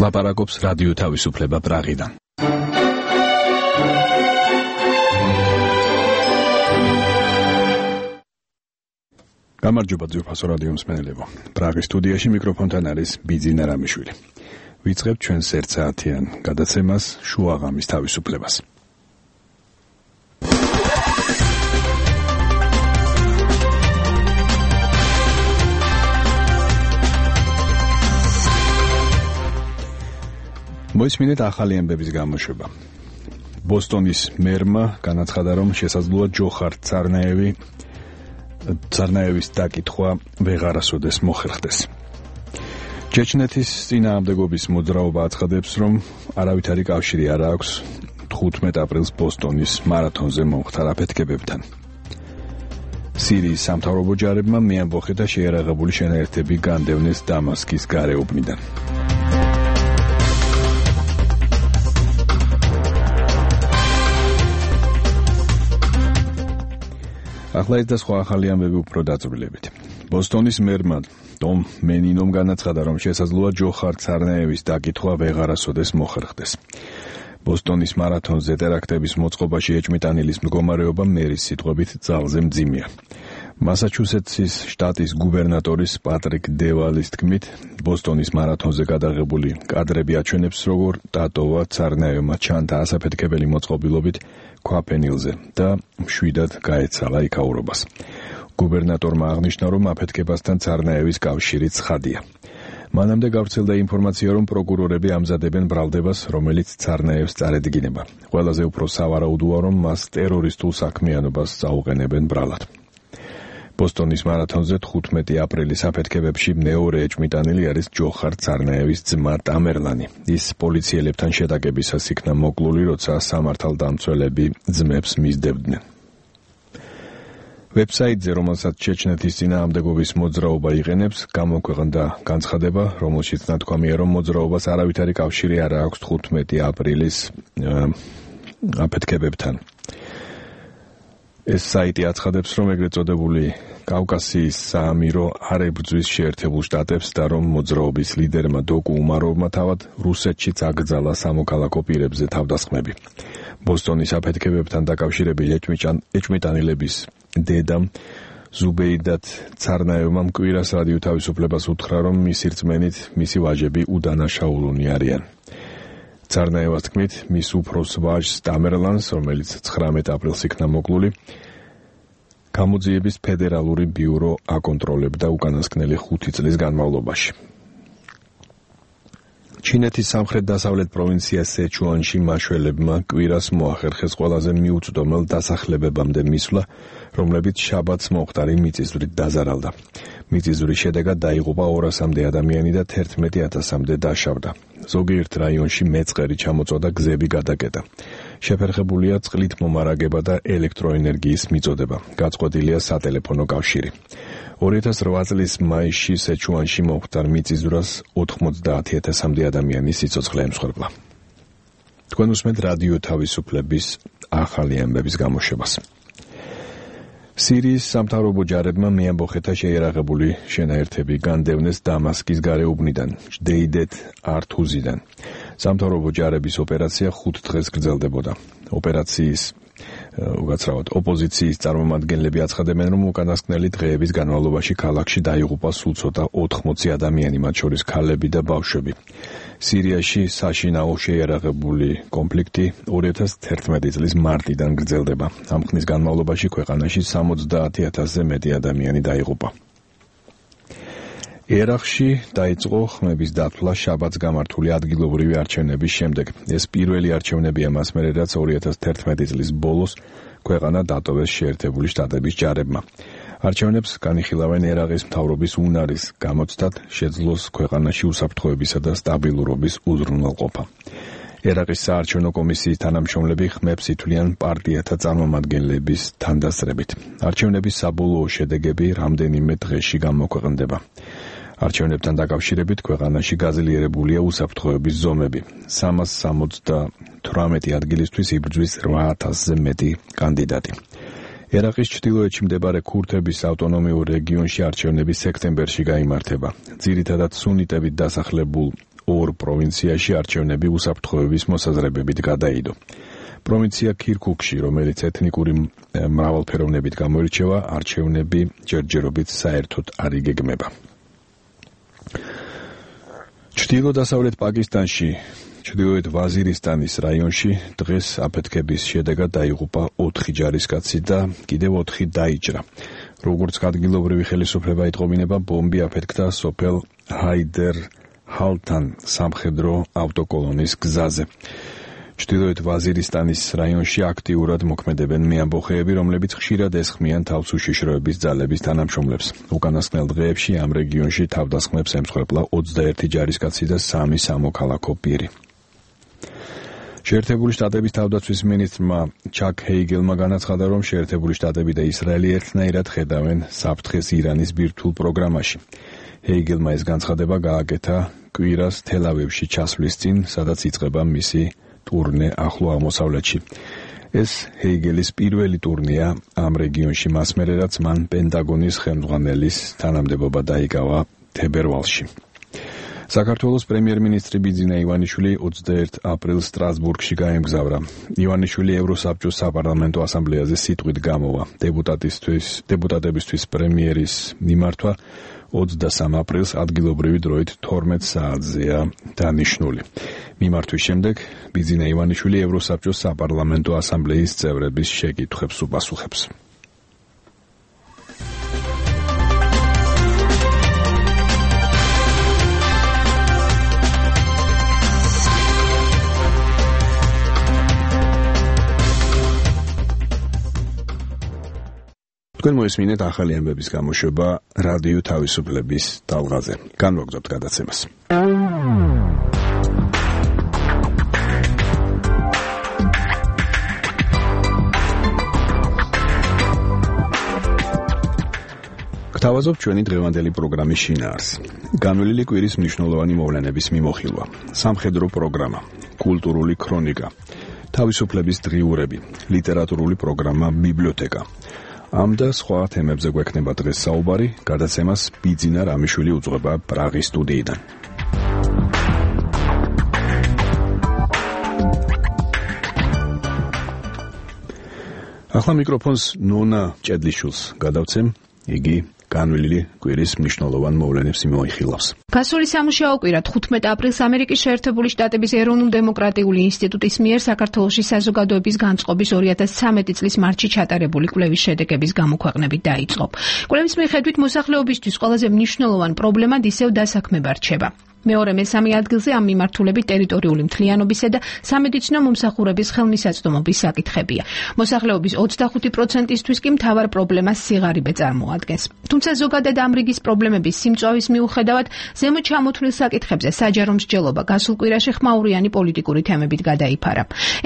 ლაპარაკობს რადიო თავისუფლება პრაღიდან. გამარჯობა ძვირფასო რადიო მსმენელებო. პრაღის სტუდიაში მიკროფონთან არის ბიძინა რამიშვილი. ვიწყებთ ჩვენს ერთსაათიან გადაცემას შუაღამის თავისუფლებას. მოისმინეთ ახალი ამბების გამოშვება. ბოსტონის მერმა განაცხადა, რომ შესაძლოა ჯოხარ ცარნაევის დაკითხვა ვეღარასოდეს მოხერხდეს. ჩეჩნეთის წინააღმდეგობის მოძრაობა აცხადებს, რომ არავითარი კავშირი არ აქვს 15 აპრილს ბოსტონის მარათონზე მომხდარ აფეთქებებთან. სირიის სამთავრობო ჯარებმა მეამბოხეთა შეიარაღებული შენაერთები განდევნეს დამასკის გარეუბნიდან. ახლა ეს და სხვა ახალი ამბები უფრო დაწვრილებით. ბოსტონის მერმა დომ მენინომ განაცხადა, რომ შესაძლოა ჯოხარ ცარნაევის დაკითხვა ვეღარასოდეს მოხერხდეს. ბოსტონის მარათონზე ტერაქტების მოწყობაში ეჭვმიტანილის მდგომარეობა მერის სიტყვებით ძალზე მძიმეა. მასაჩუსეტსის შტატის გუბერნატორის პატრიკ დევალის თქმით, ბოსტონის მარათონზე გადაღებული კადრები აჩვენებს, როგორ დატოვა ცარნაევმა ჩანთა ასაფეთქებელი მოწყობილობით ქვაფენილზე და მშვიდად გაეცალა იქაურობას. გუბერნატორმა აღნიშნა, რომ აფეთქებასთან ცარნაევის კავშირი ცხადია. მანამდე გავრცელდა ინფორმაცია, რომ პროკურორები ამზადებენ ბრალდებას, რომელიც ცარნაევს წარედგინება. ყველაზე უფრო სავარაუდოა, რომ მას ტერორისტულ საქმიანობას წაუყენებენ ბრალად. ბოსტონის მარათონზე 15 აპრილის აფეთქებებში მეორე ეჭვმიტანილი არის ჯოხარ ცარნაევის ძმა ტამერლანი. ის პოლიციელებთან შეტაკებისას იქნა მოკლული, როცა სამართალდამცველები ძმებს მისდევდნენ. ვებსაიტზე, რომელსაც ჩეჩნეთის წინააღმდეგობის მოძრაობა იყენებს, გამოქვეყნდა განცხადება, რომელშიც ნათქვამია, რომ მოძრაობას არავითარი კავშირი არ აქვს 15 აპრილის აფეთქებებთან. ეს საიტი აცხადებს, რომ ეგრეთ წოდებული კავკასიის საამირო არ ებრძვის შეერთებულ შტატებს და რომ მოძრაობის ლიდერმა დოკუ უმაროვმა თავად რუსეთშიც აკრძალა სამოქალაქო პირებზე თავდასხმები. ბოსტონის აფეთქებებთან დაკავშირებული ეჭვმიტანილების დედამ ზუბეიდათ ცარნაევმა მკვირას რადიო თავისუფლებას უთხრა, რომ მისი რწმენით მისი ვაჟები უდანაშაულონი არიან. ცარნაევას თქმით, მის უფროს ვაჟს ტამერლანს, რომელიც 19 აპრილს იქნა მოკლული, გამოძიების ფედერალური ბიურო აკონტროლებდა უკანასკნელი 5 წლის განმავლობაში. ჩინეთის სამხრეთ-დასავლეთ პროვინცია სეჩუანში მაშველებმა კვირას მოახერხეს ყველაზე მიუწვდომელ დასახლებებამდე მისვლა, რომლებიც შაბათს მომხდარი მიწისძვრით დაზარალდა. მიწისძვრის შედეგად დაიღუპა 200-მდე ადამიანი და 11,000-მდე დაშავდა. ზოგიერთ რაიონში მეწყერი ჩამოწვა და გზები გადაკეტა. შეფერხებულია წყლით მომარაგება და ელექტროენერგიის მიწოდება. გაწყვეტილია სატელეფონო კავშირი. 2008 წლის მაისში სეჩუანში მომხდარ მიწისძვრას 90,000-მდე ადამიანი სიცოცხლე ემსხვერპლა. თქვენ უსმენთ რადიო თავისუფლების ახალი ამბების გამოშვებას. სირიის სამთავრობო ჯარებმა მეამბოხეთა შეიარაღებული შენაერთები განდევნეს დამასკის გარეუბნიდან, ჯდეიდეთ ართუზიდან. სამთავრობო ჯარების ოპერაცია 5 დღეს გრძელდებოდა. ოპერაციის ოპოზიციის წარმომადგენლები აცხადებენ, რომ უკანასკნელი დღეების განმავლობაში ქალაქში დაიღუპა სულ ცოტა 80 ადამიანი, მათ შორის ქალები და ბავშვები. სირიაში საშინაო შეიარაღებული კონფლიქტი 2011 წლის მარტიდან გრძელდება. ამ ხნის განმავლობაში ქვეყანაში 70,000-ზე მეტი ადამიანი დაიღუპა. ერაყში დაიწყო ხმების დათვლა შაბათს გამართული ადგილობრივი არჩევნების შემდეგ. ეს პირველი არჩევნებია მას მერე, რაც 2011 წლის ბოლოს ქვეყანა დატოვეს შეერთებული შტატების ჯარებმა. არჩევნებს განიხილავენ ერაყის მთავრობის უნარის გამოცდად, შეძლოს ქვეყანაში უსაფრთხოებისა და სტაბილურობის უზრუნველყოფა. ერაყის საარჩევნო კომისიის თანამშრომლები ხმებს ითვლიან პარტიათა წარმომადგენლების თანდასწრებით. არჩევნების საბოლოო შედეგები რამდენიმე დღეში გამოქვეყნდება. არჩევნებთან დაკავშირებით ქვეყანაში გაძლიერებულია უსაფრთხოების ზომები. 378 ადგილისთვის იბრძვის 8,000-ზე მეტი კანდიდატი. ერაყის ჩრდილოეთში მდებარე ქურთების ავტონომიურ რეგიონში არჩევნები სექტემბერში გაიმართება. ძირითადად სუნიტებით დასახლებულ ორ პროვინციაში არჩევნები უსაფრთხოების მოსაზრებებით გადაიდო. პროვინცია ქირქუქში, რომელიც ეთნიკური მრავალფეროვნებით გამოირჩევა, არჩევნები ჯერჯერობით საერთოდ არ იგეგმება. ჩრდილო-დასავლეთ პაკისტანში, ჩრდილოეთ ვაზირისტანის რაიონში დღეს აფეთქების შედეგად დაიღუპა 4 ჯარისკაცი და კიდევ 4 დაიჭრა. როგორც ადგილობრივი ხელისუფლება იტყობინება, ბომბი აფეთქდა სოფელ ჰაიდერ ჰალთან სამხედრო ავტოკოლონის გზაზე. ჩრდილოეთ ვაზირისტანის რაიონში აქტიურად მოქმედებენ მეამბოხეები, რომლებიც ხშირად ესხმიან თავს უშიშროების ძალების თანამშრომლებს. უკანასკნელ დღეებში ამ რეგიონში თავდასხმებს ემსხვერპლა 21 ჯარისკაცი და 3 სამოქალაქო პირი. შეერთებული შტატების თავდაცვის მინისტრმა ჩაკ ჰეიგელმა განაცხადა, რომ შეერთებული შტატები და ისრაელი ერთნაირად ხედავენ საფრთხეს ირანის ბირთვულ პროგრამაში. ჰეიგელმა ეს განცხადება გააკეთა კვირას თელ-ავივში ჩასვლის წინ, სადაც იწყება მისი ტურნე ახლო აღმოსავლეთში. ეს ჰეიგელის პირველი ტურნეა ამ რეგიონში მას მერე, რაც მან პენტაგონის ხელმძღვანელის თანამდებობა დაიკავა თებერვალში. საქართველოს პრემიერ-მინისტრი ბიძინა ივანიშვილი 21 აპრილს სტრასბურგში გაემგზავრა. ივანიშვილი ევროსაბჭოს საპარლამენტო ასამბლეაზე სიტყვით გამოვა. დეპუტატებისთვის პრემიერის მიმართვა 23 აპრილს ადგილობრივი დროით 12 საათზეა დანიშნული. მიმართვის შემდეგ ბიძინა ივანიშვილი ევროსაბჭოს საპარლამენტო ასამბლეის წევრების შეკითხვებს უპასუხებს. თქვენ მოისმინეთ ახალი ამბების გამოშვება რადიო თავისუფლების ტალღაზე. განვაგრძობთ გადაცემას. გთავაზობთ ჩვენი დღევანდელი პროგრამის შინაარს. განვლილი კვირის მნიშვნელოვანი მოვლენების მიმოხილვა, სამხედრო პროგრამა, კულტურული ქრონიკა, თავისუფლების დღიურები, ლიტერატურული პროგრამა ბიბლიოთეკა. ამ და სხვა თემებზე გვექნება დღეს საუბარი, გადაცემას ბიძინა რამიშვილი უძღვება პრაღის სტუდიიდან. ახლა მიკროფონს ნონა ჭედლიშვილს გადავცემ, იგი განვლილი კვირის მნიშვნელოვან მოვლენებს მოიხილავს. გასული სამუშაო კვირა 15 აპრილს ამერიკის შეერთებული შტატების ეროვნულ-დემოკრატიული ინსტიტუტის მიერ საქართველოში საზოგადოების განწყობის 2013 წლის მარტში ჩატარებული კვლევის შედეგების გამოქვეყნებით დაიწყო. კვლევის მიხედვით მოსახლეობისთვის ყველაზე მნიშვნელოვანი პრობლემად ისევ დასაქმება რჩება. მეორე მესამე ადგილზე ამ მიმართულებით ტერიტორიული მთლიანობისა და სამედიცინო მომსახურების ხელმისაწვდომობის საკითხებია. მოსახლეობის 25%-ისთვის კი მთავარ პრობლემას სიღარიბე წარმოადგენს. თუმცა ზოგადად ამ რიგის პრობლემების სიმწვავის მიუხედავად, ზემოთ ჩამოთვლილ საკითხებზე საჯარო მსჯელობა გასულ კვირაში ხმაურიანი პოლიტიკური თემებით გადაიფარა.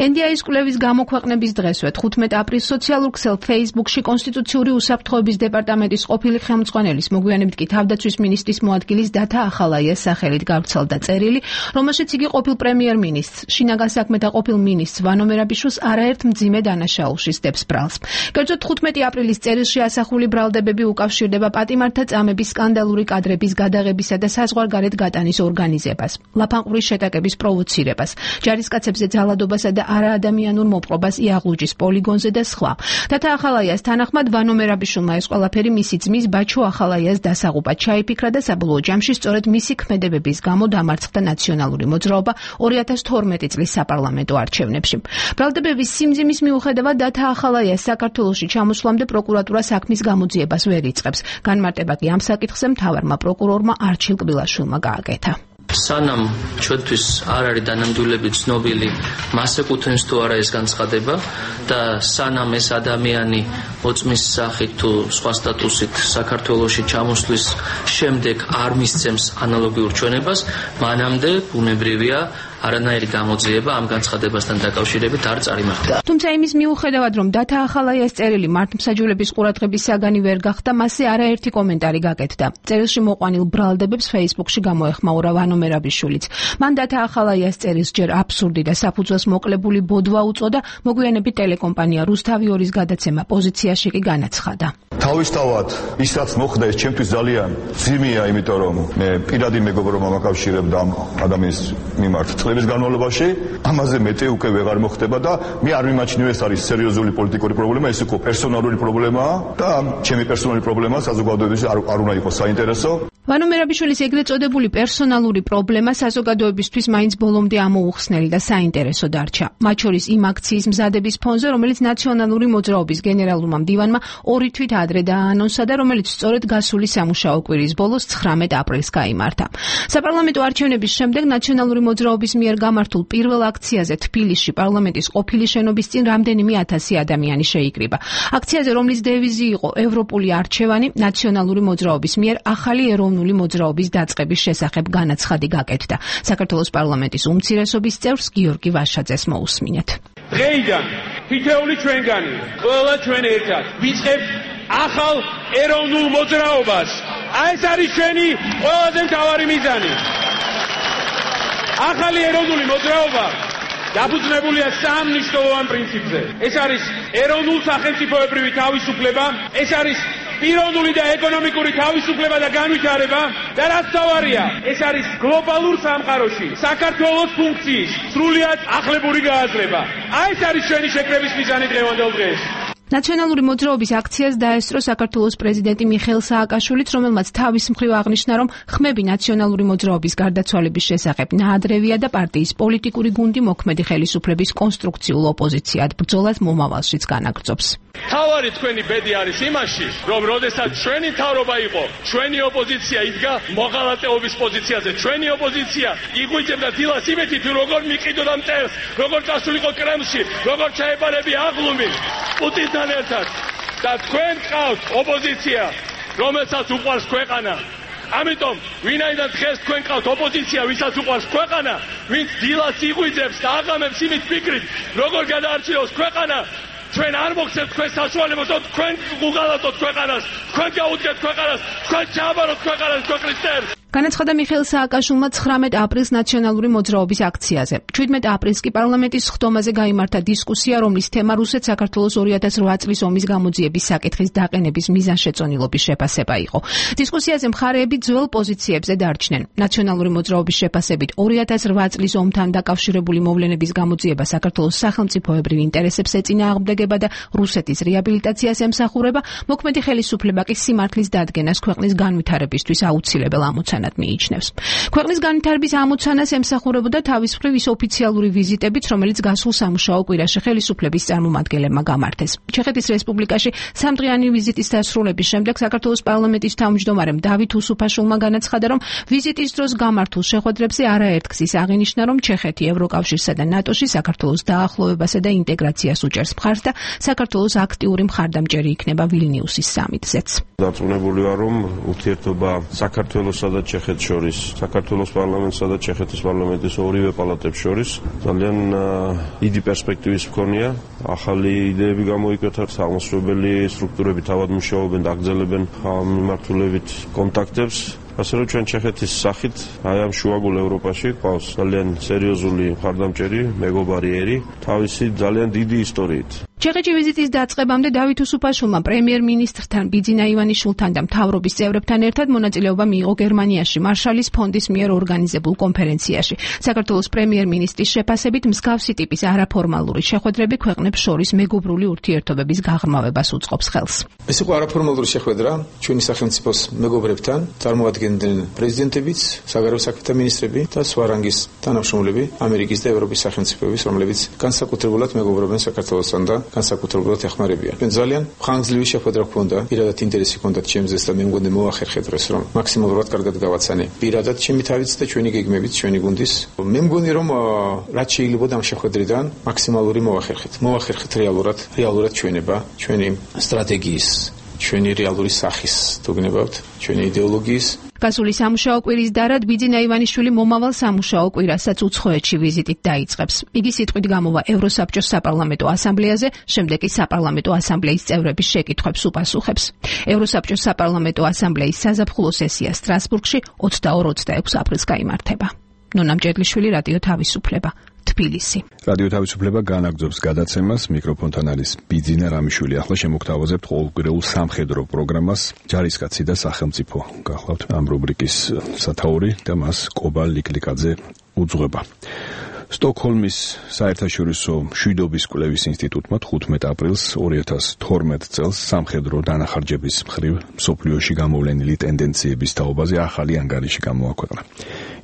NDI-ის კვლევის გამოქვეყნების დღესვე 15 აპრილს სოციალურ ქსელ Facebook-ში კონსტიტუციური უსაფრთხოების დეპარტამენტის ყოფილი ხელმძღვანელის, მოგვიანებით კი თავდაცვის მინისტრის მოადგილის დათა ახალაიას სახელით გავრცელდა წერილი, რომელშიც იგი ყოფილ პრემიერ-მინისტრს, შინაგან საქმეთა ყოფილ მინისტრს ვანო მერაბიშვილს არაერთ მძიმე დანაშაულში სდებს ბრალს. კერძოდ 15 აპრილის წერილში ასახული ბრალდებები უკავშირდება პატიმართა წამების სკანდალური კადრების გადაღებისა და საზღვარგარეთ გატანის ორგანიზებას, ლაფანყურის შეტაკების პროვოცირებას, ჯარისკაცებზე ძალადობასა და არაადამიანურ მოპყრობას იაღლუჯის პოლიგონზე და სხვა. დათა ახალაიას თანახმად ვანო მერაბიშვილმა ეს ყველაფერი მისი ძმის ბაჩო ახალაიას დასაღუპად ჩაიფიქრა და საბოლოო ჯამში სწორედ მისი ქმედებების გამო დამარცხდა ნაციონალური მოძრაობა 2012 წლის საპარლამენტო არჩევნებში. ბრალდებების სიმძიმის მიუხედავად დათა ახალაიას საქართველოში ჩამოსვლამდე პროკურატურა საქმის გამოძიებას ვერ იწყებს. განმარტება კი ამ საკითხზე მთავარმა პროკურორმა არჩილ კბილაშვილმა გააკეთა. სანამ ჩვენთვის არ არის დანამდვილებით ცნობილი მას ეკუთვნის თუ არა ეს განცხადება და სანამ ეს ადამიანი მოწმის სახით თუ სხვა სტატუსით საქართველოში ჩამოსვლის შემდეგ არ მისცემს ანალოგიურ ჩვენებას, მანამდე ბუნებრივია არანაირი გამოძიება ამ განცხადებასთან დაკავშირებით არ წარიმართა. თუმცა იმის მიუხედავად, რომ დათა ახალაიას წერილი მართლმსაჯულების ყურადღების საგანი ვერ გახდა, მასზე არაერთი კომენტარი გაკეთდა. წერილში მოყვანილ ბრალდებებს Facebook-ში გამოეხმაურა ვანო მერაბიშვილიც. მან დათა ახალაიას წერილს ჯერ აბსურდი და საფუძველს მოკლებული ბოდვა უწოდა, მოგვიანებით ტელეკომპანია რუსთავი 2-ის გადაცემა პოზიციაში კი განაცხადა. თავისთავად ის რაც მოხდა ეს ჩემთვის ძალიან ძიმეა, იმიტომ რომ მე პირადი მეგობრობა მაკავშირებდა ამ ადამიანის მიმართ წლების განმავლობაში, ამაზე მეტი უკვე ვეღარ მოხდება და მე არ მიმაჩნიო ეს არის სერიოზული პოლიტიკური პრობლემა, ეს უკვე პერსონალური პრობლემაა და ჩემი პერსონალური პრობლემა საზოგადოების არ უნდა იყოს საინტერესო. ვანო მერაბიშვილის ეგრეთ წოდებული პერსონალური პრობლემა საზოგადოებისთვის მაინც ბოლომდე ამოუხსნელი და საინტერესო დარჩა. მათ შორის იმ აქციის მზადების ფონზე, რომელიც ნაციონალური მოძრაობის გენერალურმა მდივანმა 2 თვით ადრე დააანონსა და რომელიც სწორედ გასული სამუშაო კვირის ბოლოს 19 აპრილს გაიმართა. საპარლამენტო არჩევნების შემდეგ ნაციონალური მოძრაობის მიერ გამართულ პირველ აქციაზე თბილისში პარლამენტის ყოფილი შენობის წინ რამდენიმე ათასი ადამიანი შეიკრიბა. აქციაზე, რომლის დევიზი იყო ევროპული არჩევანი, ნაციონალური მოძრაობის მიერ ახალი ეროვნული მოძრაობის დაწყების შესახებ განაცხადი გაკეთდა. საქართველოს პარლამენტის უმცირესობის წევრს გიორგი ვაშაძეს მოусმინეთ. დღეიდან თითეული ჩვენგანი, ყველა ჩვენ ერთად ვიწყებთ ახალ ეროვნულ მოძრაობას. ეს არის ჩვენი ყველაზე მთავარი მიზანი. ახალი ეროვნული მოძრაობა დაფუძნებულია 3 მნიშვნელოვან პრინციპზე. ეს არის ეროვნულ სახელმწიფოებრივი თავისუფლება, ეს არის პიროვნული და ეკონომიკური თავისუფლება და განვითარება და რაც თავარია, ეს არის გლობალურ სამყაროში საქართველოს ფუნქციის სრულიად ახლებური გააზრება. ეს არის ჩვენი შეკრების მიზანი დღევანდელ დღეს. ნაციონალური მოძრაობის აქციას დაესწრო საქართველოს პრეზიდენტი მიხეილ სააკაშვილიც, რომელმაც თავის მხრივ აღნიშნა, რომ ხმები ნაციონალური მოძრაობის გარდაცვალების შესახებ ნაადრევია და პარტიის პოლიტიკური გუნდი მოქმედი ხელისუფლების კონსტრუქციულ ოპოზიციად ბრძოლას მომავალშიც განაგრძობს. თავარი თქვენი ბედი არის იმაში, რომ როდესაც ჩვენი მთავრობა იყო, ჩვენი ოპოზიცია იდგა მოღალატეობის პოზიციაზე. ჩვენი ოპოზიცია იღვიძებდა დილას იმეთით, როგორ მიყიდოდა მტერს, როგორ წასულიყო კრემლში, როგორ ჩაეპარებია აღლუმი პუტინთან ერთად. და თქვენ ყავთ ოპოზიცია, რომელსაც უყვარს ქვეყანა. ამიტომ ვინაიდან დღეს თქვენ ყავთ ოპოზიცია, ვისაც უყვარს ქვეყანა, ვინც დილას იღვიძებს და აღამებს იმით ფიქრით, როგორ გადაარჩიოს ქვეყანა, ჩვენ არ მოგცემთ თქვენ საშუალებებს, რომ თქვენ უღალატოთ ქვეყანას, თქვენ გაუდგეთ ქვეყანას, თქვენ ჩააბაროთ ქვეყანას ქვეყნის წერს. განაცხადა მიხეილ სააკაშვილმა 19 აპრილს ნაციონალური მოძრაობის აქციაზე. 17 აპრილს კი პარლამენტის სხდომაზე გაიმართა დისკუსია, რომლის თემა რუსეთ-საქართველოს 2008 წლის ომის გამოძიების საკითხის დაყენების მიზანშეწონილობის შეფასება იყო. დისკუსიაზე მხარეები ძველ პოზიციებზე დარჩნენ. ნაციონალური მოძრაობის შეფასებით 2008 წლის ომთან დაკავშირებული მოვლენების გამოძიება საქართველოს სახელმწიფოებრივ ინტერესებს ეწინააღმდეგება და რუსეთის რეაბილიტაციას ემსახურება, მოქმედი ხელისუფლება კი სიმართლის დადგენას ქვეყნის განვითარებისთვის აუცილებელ ამოცანად მიიჩნევს. ქვეყნის განვითარების ამოცანას ემსახურებოდა თავის მხრივ ის ოფიციალური ვიზიტებით, რომელიც გასულ სამუშაო კვირაში ხელისუფლების წარმომადგენლებმა გამართეს. ჩეხეთის რესპუბლიკაში 3დღიანი ვიზიტის დასრულების შემდეგ საქართველოს პარლამენტის თავმჯდომარემ დავით უსუფაშვილმა განაცხადა, რომ ვიზიტის დროს გამართულ შეხვედრებზე არაერთგზის აღინიშნა, რომ ჩეხეთი ევროკავშირსა და ნატოში საქართველოს დაახლოვებასა და ინტეგრაციას უჭერს მხარს და საქართველოს აქტიური მხარდამჭერი იქნება ვილნიუსის სამიტზეც. დარწმუნებული ვარ, რომ ურთიერთობა საქართველოსა და ჩეხეთს შორის, საქართველოს პარლამენტსა და ჩეხეთის პარლამენტის ორივე პალატებს შორის ძალიან დიდი პერსპექტივის მქონია. ახალი იდეები გამოიკვეთა, აღმასრულებელი სტრუქტურები თავად მუშაობენ და აგრძელებენ მიმართულებით კონტაქტებს. ასე რომ ჩვენ ჩეხეთის სახით აი ამ შუაგულ ევროპაში ყავს ძალიან სერიოზული მხარდამჭერი, მეგობარი ერი, თავისი ძალიან დიდი ისტორიით. ჩეხეთში ვიზიტის დაწყებამდე დავით უსუფაშვილმა პრემიერ-მინისტრთან ბიძინა ივანიშვილთან და მთავრობის წევრებთან ერთად მონაწილეობა მიიღო გერმანიაში მარშალის ფონდის მიერ ორგანიზებულ კონფერენციაში. საქართველოს პრემიერ-მინისტრის შეფასებით მსგავსი ტიპის არაფორმალური შეხვედრები ქვეყნებს შორის მეგობრული ურთიერთობების გაღრმავებას უწყობს ხელს. ეს იყო არაფორმალური შეხვედრა ჩვენი სახელმწიფოს მეგობრებთან, წარმოადგენდნენ პრეზიდენტებიც, საგარეო საქმეთა მინისტრები და სხვა რანგის თანამშრომლები ამერიკის და ევროპის სახელმწიფოების, რომლებიც განსაკუთრებულად მეგობრობენ საქართველოსთან და განსაკუთრებულად ეხმარებიან. ჩვენ ძალიან ხანგრძლივი შეხვედრა გვქონდა, პირადად ინტერესი ჰქონდათ ჩემზეც და მე მგონი მოახერხე დღეს, რომ მაქსიმალურად კარგად გავაცანე. პირადად ჩემი თავიც და ჩვენი გეგმებით, ჩვენი გუნდის. მე მგონი, რომ რაც შეიძლება ამ შეხვედრიდან მაქსიმალური მოახერხეთ რეალურად ჩვენება, ჩვენი სტრატეგიის, ჩვენი რეალური სახის, თუ გნებავთ, ჩვენი იდეოლოგიის. გასული სამუშაო კვირის დარად ბიძინა ივანიშვილი მომავალ სამუშაო კვირასაც უცხოეთში ვიზიტით დაიწყებს. იგი სიტყვით გამოვა ევროსაბჭოს საპარლამენტო ასამბლეაზე, შემდეგ კი საპარლამენტო ასამბლეის წევრების შეკითხვებს უპასუხებს. ევროსაბჭოს საპარლამენტო ასამბლეის საზაფხულო სესია სტრასბურგში 22-26 აპრილს გაიმართება. ნონა მჭედლიშვილი, რადიო თავისუფლება, თბილისი. რადიო თავისუფლება განაგრძობს გადაცემას, მიკროფონთან არის ბიძინა რამიშვილი. ახლა შემოგთავაზებთ ყოველკვირეულ სამხედრო პროგრამას ჯარისკაცი და სახელმწიფო. გახლავთ ამ რუბრიკის სათაური და მას კობა ლიკლიკაძე უძღვება. სტოკჰოლმის საერთაშორისო მშვიდობის კვლევის ინსტიტუტმა 15 აპრილს 2012 წელს სამხედრო დანახარჯების მხრივ მსოფლიოში გამოვლენილი ტენდენციების თაობაზე ახალი ანგარიში გამოაქვეყნა.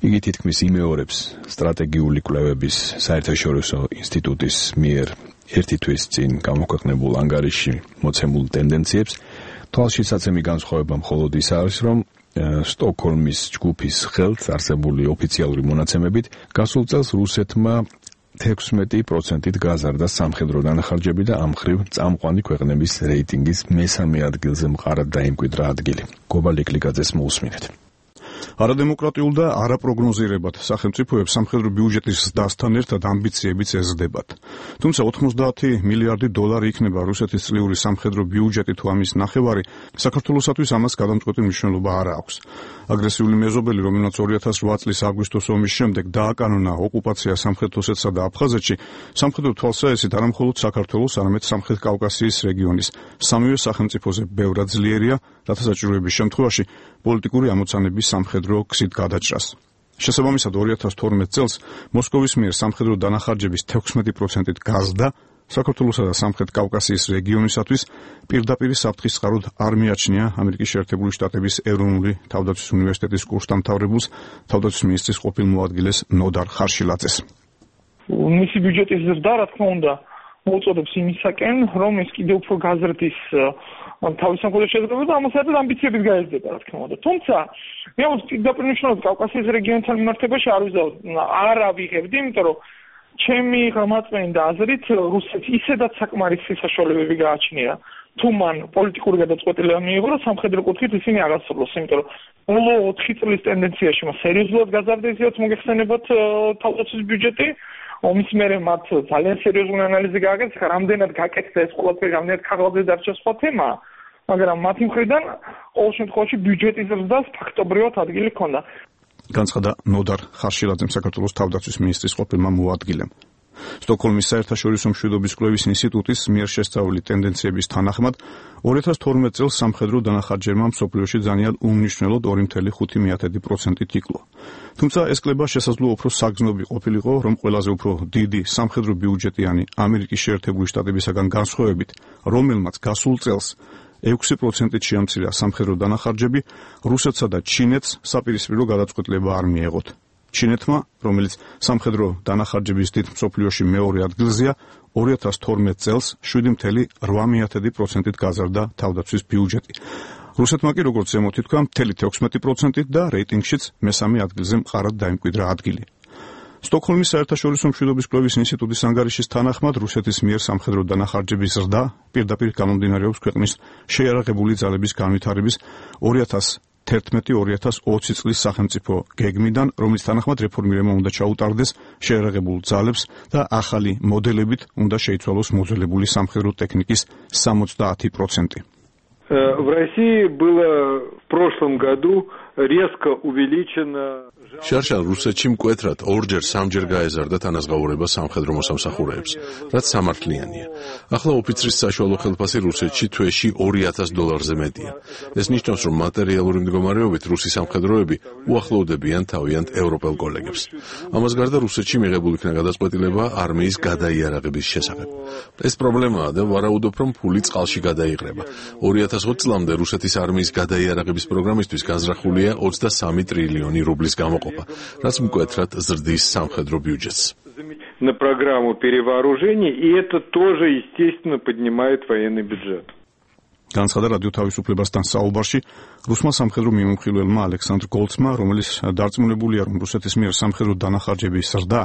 იგი თითქმის იმეორებს სტრატეგიული კვლევების საერთაშორისო ინსტიტუტის მიერ ერთი თვის წინ გამოქვეყნებულ ანგარიშში მოცემულ ტენდენციებს. თვალშისაცემი განსხვავება მხოლოდ ის არის, რომ სტოკჰოლმის ჯგუფის ხელთ არსებული ოფიციალური მონაცემებით გასულ წელს რუსეთმა 16%-ით გაზარდა სამხედრო დანახარჯები და ამ მხრივ წამყვანი ქვეყნების რეიტინგის მესამე ადგილზე მყარად დაიმკვიდრა ადგილი. გობა ლიკლიკაძეს მოусმინეთ. არადემოკრატიულ და არაპროგნოზირებად სახელმწიფოებს სამხედრო ბიუჯეტის ზრდასთან ერთად ამბიციებიც ეზრდებათ. თუმცა 90 მილიარდი დოლარი იქნება რუსეთის წლიური სამხედრო ბიუჯეტი თუ ამის ნახევარი, საქართველოსათვის ამას გადამწყვეტი მნიშვნელობა არ აქვს. აგრესიული მეზობელი, რომელმაც 2008 წლის აგვისტოს ომის შემდეგ დააკანონა ოკუპაცია სამხრეთ ოსეთსა და აფხაზეთში, სამხედრო თვალსაჩინოდ არა მხოლოდ საქართველოს, არამედ სამხრეთ კავკასიის რეგიონის სამივე სახელმწიფოზე ბევრად ძლიერია, რათა საჭიროების შემთხვევაში პოლიტიკური ამოცანების სამხედრო გზით გადაჭრას. შესაბამისად 2012 წელს მოსკოვის მიერ სამხედრო დანახარჯების 16%-ით გაზრდა საქართველოსა და სამხრეთ კავკასიის რეგიონისათვის პირდაპირ საფრთხის წყაროდ არ მიაჩნია ამერიკის შეერთებული შტატების ეროვნული თავდაცვის უნივერსიტეტის კურსდამთავრებულს, თავდაცვის მინისტრის ყოფილ მოადგილეს ნოდარ ხარშილაძეს. მისი ბიუჯეტის ზრდა, რა თქმა უნდა, მოუწოდებს იმისაკენ, რომ ეს კიდევ უფრო გაზრდის თავის სამხედრო შეძლებება და ამას ერთად ამბიციებით გაეზრდება, რა თქმა უნდა. თუმცა, მე პირდაპირ მნიშვნელოვნად კავკასიის რეგიონთან მიმართებაში არ ავიღებდი, იმიტომ რომ ჩემი გამაწვენდა აზრით რუსეთს ისედაც საკმარისი საშუალებები გააჩნია. თუ მან პოლიტიკური გადაწყვეტილება მიიღო, რომ სამხედრო კუთხით ისინი აღასრულოს, იმიტომ რომ ბოლო 4 წლის ტენდენციაში მას სერიოზულად გაზარდა, ისედაც მოგეხსენებათ თავდაცვის ბიუჯეტი. ომის მერე მათ ძალიან სერიოზული ანალიზი გააკეთეს, რამდენად გაკეთდა ეს ყველაფერი, რამდენად ქაღალდზე დარჩა სხვა თემაა, მაგრამ მათი მხრიდან ყოველ შემთხვევაში ბიუჯეტის ზრდას ფაქტობრივად ადგილი ჰქონდა. განცხადა ნოდარ ხარშილაძემ, საქართველოს თავდაცვის მინისტრის ყოფილმა მოადგილემ. სტოკჰოლმის საერთაშორისო მშვიდობის კვლევის ინსტიტუტის მიერ შესწავლილი ტენდენციების თანახმად 2012 წელს სამხედრო დანახარჯებმა მსოფლიოში ძალიან უმნიშვნელოდ 2.5%-ით იკლო. თუმცა ეს კლება შესაძლოა უფრო საგრძნობი ყოფილიყო, რომ ყველაზე უფრო დიდი სამხედრო ბიუჯეტიანი ამერიკის შეერთებული შტატებისაგან განსხვავებით, რომელმაც გასულ წელს 6%-ით შეამცირა სამხედრო დანახარჯები, რუსეთსა და ჩინეთს საპირისპირო გადაწყვეტილება არ მიეღოთ. ჩინეთმა, რომელიც სამხედრო დანახარჯების დიდ მსოფლიოში მეორე ადგილზეა, 2012 წელს 7.8%-ით გაზარდა თავდაცვის ბიუჯეტი. რუსეთმა კი, როგორც ზემოთი თქვა, 16%-ით და რეიტინგშიც მესამე ადგილზე მყარად დაიმკვიდრა ადგილი. სტოკჰოლმის საერთაშორისო მშვიდობის კვლევის ინსტიტუტის ანგარიშის თანახმად რუსეთის მიერ სამხედრო დანახარჯების ზრდა პირდაპირ გამომდინარეობს ქვეყნის შეიარაღებული ძალების განვითარების 2011-2020 წლის სახელმწიფო გეგმიდან, რომლის თანახმად რეფორმირება უნდა ჩაუტარდეს შეიარაღებულ ძალებს და ახალი მოდელებით უნდა შეიცვალოს მოძველებული სამხედრო ტექნიკის 70%. В России было в прошлом году резко увеличено შარშან რუსეთში მკვეთრად ორჯერ-სამჯერ გაეზარდა თანაზღაურება სამხედრო მოსამსახურეებს, რაც სამართლიანია. ახლა ოფიცრის საშუალო ხელფასი რუსეთში თვეში $2000 მეტია. ეს ნიშნავს, რომ მატერიალური მდგომარეობით რუსი სამხედროები უახლოვდებიან თავიანთ ევროპელ კოლეგებს. ამას გარდა რუსეთში მიღებულ იქნა გადაწყვეტილება არმიის გადაიარაღების შესახებ. ეს პრობლემაა და ვარაუდობ, რომ ფული წყალში გადაიღრება. 2020 წლამდე რუსეთის არმიის გადაიარაღების პროგრამისთვის განზრახულია 23 ტრილიონი რუბლის გამოყოფა, რაც მკვეთრად ზრდის სამხედრო ბიუჯეტს. На программу перевооружения, и это тоже, естественно, поднимает военный бюджет. განცხადა რადიო თავისუფლებასთან საუბარში რუსმა სამხედრო მიმოხილველმა ალექსანდრ გოლცმა, რომელიც დარწმუნებულია, რომ რუსეთის მიერ სამხედრო დანახარჯების ზრდა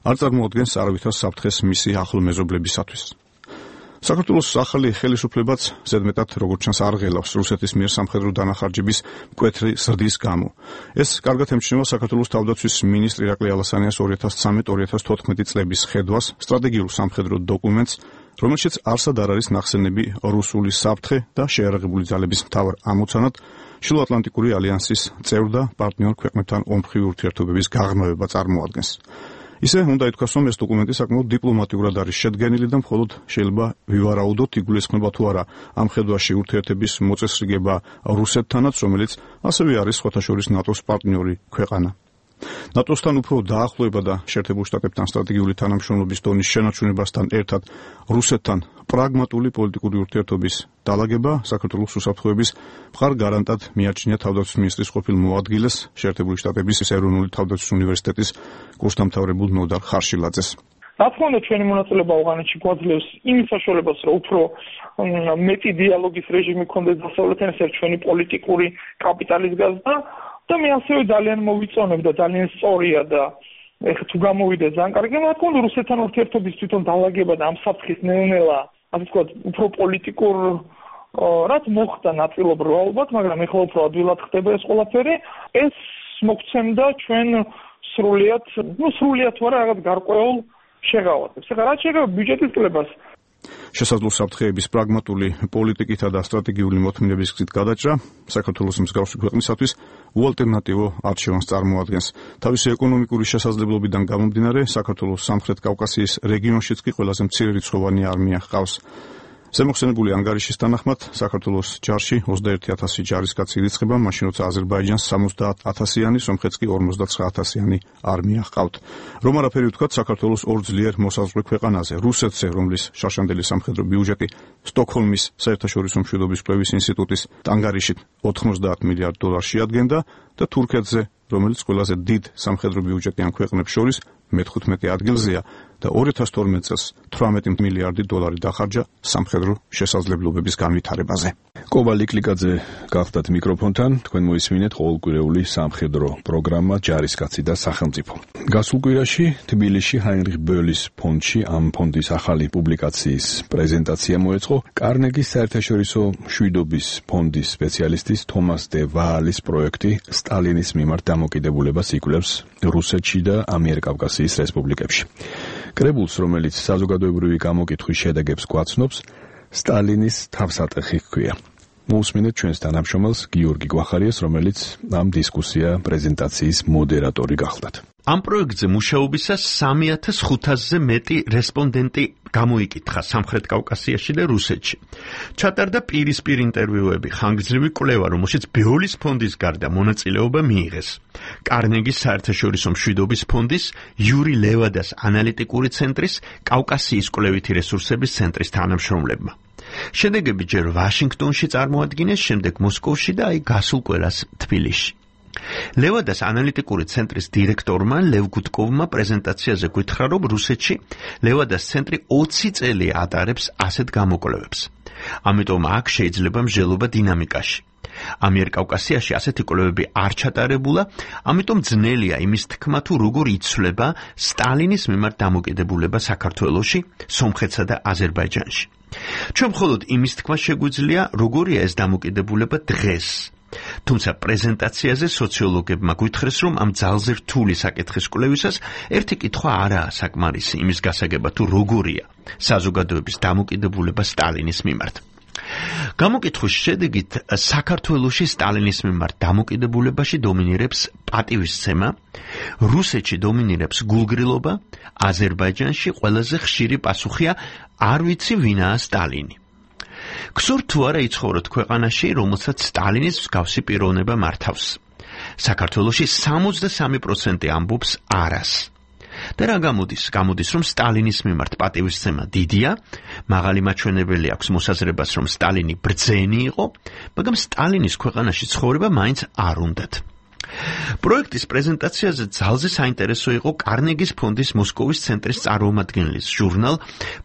არ წარმოადგენს არავითარ საფრთხეს მისი ახლო მეზობლებისათვის. საქართველოს ახალი ხელისუფლებაც ზედმეტად როგორც ჩანს არ ღელავს რუსეთის მიერ სამხედრო დანახარჯების მკვეთრი ზრდის გამო. ეს კარგად ემჩნევა საქართველოს თავდაცვის მინისტრი ირაკლი ალასანიას 2013-2014 წლების ხედვას სტრატეგიულ სამხედრო დოკუმენტს რომელშიც არსად არ არის ნახსენები რუსული საფრთხე და შეიარაღებული ძალების მთავარ ამოცანად შილოატლანტიკური ალიანსის წევრ და პარტნიორ ქვეყნებთან ომხრივი ურთიერთობების გაღრმავება წარმოადგენს. ისე უნდა ითქვას, რომ ეს დოკუმენტი საკმაოდ დიპლომატიურად არის შედგენილი და მხოლოდ შეიძლება ვივარაუდოთ, იგულისხმება თუ არა ამ ხედვაში ურთიერთების მოწესრიგება რუსეთთანაც, რომელიც ასევე არის სხვათა შორის ნატოს პარტნიორი ქვეყანა. ნატოსთან უფრო დაახლოება და შეერთებულ შტატებთან სტრატეგიული თანამშრომლობის დონის შენარჩუნებასთან ერთად რუსეთთან პრაგმატული პოლიტიკური ურთიერთობის დალაგება საქართველოს უსაფრთხოების მხარ-გარანტად მიაჩნია თავდაცვის მინისტრის ყოფილ მოადგილეს შეერთებული შტატების ეროვნული თავდაცვის უნივერსიტეტის კურსდამთავრებულ ნოდარ ხარშილაძეს. რა თქმა უნდა, ჩვენი მონაწილეობა ავღანეთში გვაძლევს იმის საშუალებას, რომ უფრო მეტი დიალოგის რეჟიმი გქონდეს დასავლეთთან, ეს ჩვენი პოლიტიკური კაპიტალის გაზრდა. და მე ასევე ძალიან მოვიწონებ და ძალიან სწორია და ეხლა თუ გამოვიდა ძალიან კარგი, რა თქმა უნდა, რუსეთთან ურთიერთობის თვითონ დალაგება და ამ საფრთხის ნელ-ნელა, ასე ვთქვათ, უფრო პოლიტიკურ რაც მოხდა ნაწილობრივ ალბათ, მაგრამ ეხლა უფრო ადვილად ხდება ეს ყველაფერი, ეს მოგცემდა ჩვენ სრულიად თუ არა რაღაც გარკვეულ შეღავათებს. ეხლა რაც შეეხება ბიუჯეტის კლებას, შესაძლო საფრთხეების პრაგმატული პოლიტიკითა და სტრატეგიული მოთმინების გზით გადაჭრა საქართველოს მსგავსი ქვეყნისათვის უალტერნატივო არჩევანს წარმოადგენს. თავისი ეკონომიკური შესაძლებლობიდან გამომდინარე, საქართველოს სამხრეთ კავკასიის რეგიონშიც კი ყველაზე მცირერიცხოვანი არმია ჰყავს. ზემოხსენებული ანგარიშის თანახმად, საქართველოს ჯარში 21,000 ჯარისკაცი ირიცხება, მაშინ როცა აზერბაიჯანს 70,000-იანი, სომხეთს კი 59,000-იანი არმია ჰყავთ. რომ არაფერი ვთქვათ, საქართველოს ორ ძლიერ მოსაზღვრე ქვეყანაზე, რუსეთზე, რომლის შარშანდელი სამხედრო ბიუჯეტი სტოკჰოლმის საერთაშორისო მშვიდობის კვლევის ინსტიტუტის ანგარიშით 90 მილიარდ დოლარს შეადგენდა და თურქეთზე, რომელიც ყველაზე დიდ სამხედრო ბიუჯეტიან ქვეყნებს შორის მე-15 ადგილზეა და 2012 წელს 18 მილიარდი დოლარი დახარჯა სამხედრო შესაძლებლობების განვითარებაზე. კობა ლიკლიკაძე გახდათ მიკროფონთან, თქვენ მოისმინეთ ყოველკვირეული სამხედრო პროგრამა ჯარისკაცი და სახელმწიფო. გასულ კვირაში თბილისში ჰაინრიხ ბოლის ფონდში ამ ფონდის ახალი პუბლიკაციის პრეზენტაცია მოეწყო კარნეგის საერთაშორისო მშვიდობის ფონდის სპეციალისტის თომას დე ვაალის პროექტი სტალინის მიმართ დამოკიდებულებას იკვლევს რუსეთში და ამიერკავკასიის რესპუბლიკებში. კრებულს, რომელიც საზოგადოებრივი გამოკითხვის შედეგებს გვაცნობს, სტალინის თავსატეხი ჰქვია. მოусმინეთ ჩვენს თანამშრომელს გიორგი გვახარიას, რომელიც ამ დისკუსია პრეზენტაციის მოდერატორი გახლდათ. ამ პროექტზე მუშაობისას 3,500-ზე მეტი რესპონდენტი გამოიკითხა სამხრეთ კავკასიაში და რუსეთში. ჩატარდა პირისპირ ინტერვიუები, ხანგრძლივი კვლევა, რომელშიც ბეოლის ფონდის გარდა მონაწილეობა მიიღეს კარნეგის საერთაშორისო მშვიდობის ფონდის, იური ლევადას ანალიტიკური ცენტრის, კავკასიის კვლევითი რესურსების ცენტრის თანამშრომლებმა. შედეგები ჯერ ვაშინგტონში წარმოადგინეს, შემდეგ მოსკოვში და გასულ კვირას თბილისში. ლევადას ანალიტიკური ცენტრის დირექტორმა ლევ გუტკოვმა პრეზენტაციაზე გითხრა, რომ რუსეთში ლევადას ცენტრი 20 წელი ატარებს ასეთ გამოკვლევებს. ამიტომ აქ შეიძლება მსჯელობა დინამიკაში. ამიერკავკასიაში ასეთი კვლევები არ ჩატარებულა, ამიტომ ძნელია იმის თქმა, თუ როგორ იცვლება სტალინის მიმართ დამოკიდებულება საქართველოში, სომხეთსა და აზერბაიჯანში. ჩვენ მხოლოდ იმის თქმა შეგვიძლია, როგორია ეს დამოკიდებულება დღეს. თუმცა პრეზენტაციაზე სოციოლოგებმა გვითხრეს, რომ ამ ძალზე რთული საკითხის კვლევისას ერთი კითხვა არაა საკმარისი იმის გასაგებად, თუ როგორია საზოგადოების დამოკიდებულება სტალინის მიმართ. გამოკითხვის შედეგით საქართველოში სტალინის მიმართ დამოკიდებულებაში დომინირებს პატივისცემა, რუსეთში დომინირებს გულგრილობა, აზერბაიჯანში ყველაზე ხშირი პასუხია არ ვიცი ვინაა სტალინი. გსურთ თუ არა იცხოვროთ ქვეყანაში, რომელსაც სტალინის მსგავსი პიროვნება მართავს. საქართველოში 63% ამბობს არას. და რა გამოდის? გამოდის, რომ სტალინის მიმართ პატივისცემა დიდია, მაღალი მაჩვენებელი აქვს მოსაზრებას, რომ სტალინი ბრძენი იყო, მაგრამ სტალინის ქვეყანაში ცხოვრება მაინც არ უნდათ. პროექტის პრეზენტაციაზე ძალზე საინტერესო იყო კარნეგის ფონდის მოსკოვის ცენტრის წარმომადგენლის ჟურნალ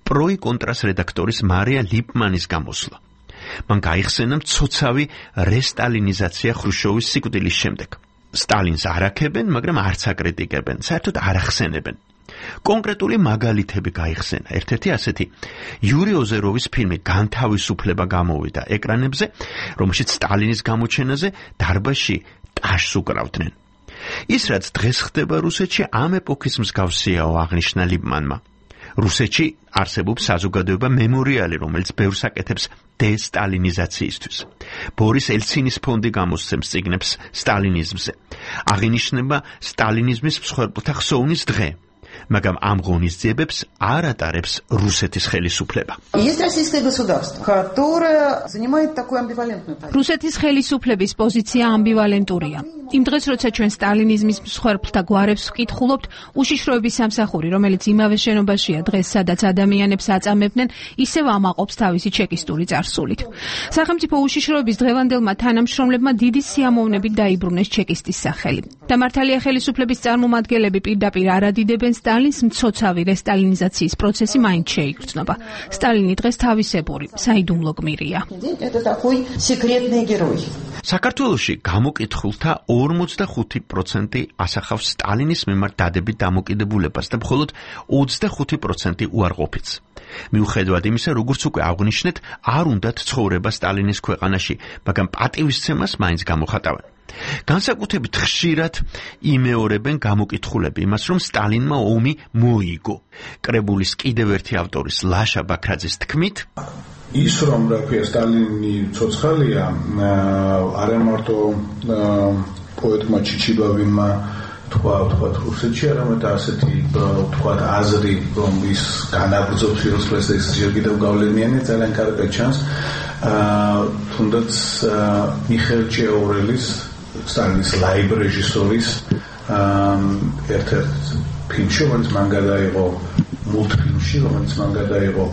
პროი კონტრას რედაქტორის მარია ლიპმანის გამოსვლა. მან გაიხსენა მცოცავი რესტალინიზაცია ხრუშჩოვის სიკვდილის შემდეგ. სტალინს არ აქებენ, მაგრამ არც აკრიტიკებენ, საერთოდ არ ახსენებენ. კონკრეტული მაგალითები გაიხსენა. ერთ-ერთი ასეთი, იური ოზეროვის ფილმი განთავისუფლება გამოვიდა ეკრანებზე, რომელშიც სტალინის გამოჩენაზე დარბაზში ტაშს უკრავდნენ. ის, რაც დღეს ხდება რუსეთში, ამ ეპოქის მსგავსიაო, აღნიშნა ლიპმანმა. რუსეთში არსებობს საზოგადოება მემორიალი, რომელიც ბევრს აკეთებს დესტალინიზაციისთვის. ბორის ელცინის ფონდი გამოსცემს წიგნებს სტალინიზმზე. აღინიშნება სტალინიზმის მსხვერპლთა ხსოვნის დღე. მაგრამ ამ ღონისძიებებს არ ატარებს რუსეთის ხელისუფლება. რუსეთის ხელისუფლების პოზიცია ამბივალენტურია. იმ დღეს, როცა ჩვენ სტალინიზმის მსხვერპლთა გვარებს ვკითხულობთ, უშიშროების სამსახური, რომელიც იმავე შენობაშია დღეს, სადაც ადამიანებს აწამებდნენ, ისევ ამაყობს თავისი ჩეკისტური წარსულით. სახელმწიფო უშიშროების დღევანდელმა თანამშრომლებმა დიდი სიამოვნებით დაიბრუნეს ჩეკისტის სახელი. და მართალია ხელისუფლების წარმომადგენლები პირდაპირ არ ადიდებენ სტალინს, მცოცავი რესტალინიზაციის პროცესი მაინც შეიგრძნობა. სტალინი დღეს თავისებური, საიდუმლო გმირია. საქართველოში გამოკითხულთა 45% ასახავს სტალინის მიმართ დადებით დამოკიდებულებას და მხოლოდ 25% უარყოფითს. მიუხედავად იმისა, როგორც უკვე აღვნიშნეთ, არ უნდათ ცხოვრება სტალინის ქვეყანაში, მაგრამ პატივისცემას მაინც გამოხატავენ. განსაკუთრებით ხშირად იმეორებენ გამოკითხულები იმას, რომ სტალინმა ომი მოიგო. კრებულის კიდევ ერთი ავტორის ლაშა ბაქრაძის თქმით, ის რომ რა ქვია სტალინი ცოცხალია, არა მარტო პოეტმა ჩიჩიბავინმა თქვა რუსეთში, არამედ ასეთი თქვა აზრი, რომ ის განაგრძობს სიროსლეს ეს ჯერ კიდევ გავლენიანი ძალიან კარგად ჩანს. თუნდაც მიხეილ ჭიაურელის სტალინის ლაიბ რეჟისორის ერთ-ერთ ფილმში, რომელიც მან გადაიღო მულტფილმში, რომელიც მან გადაიღო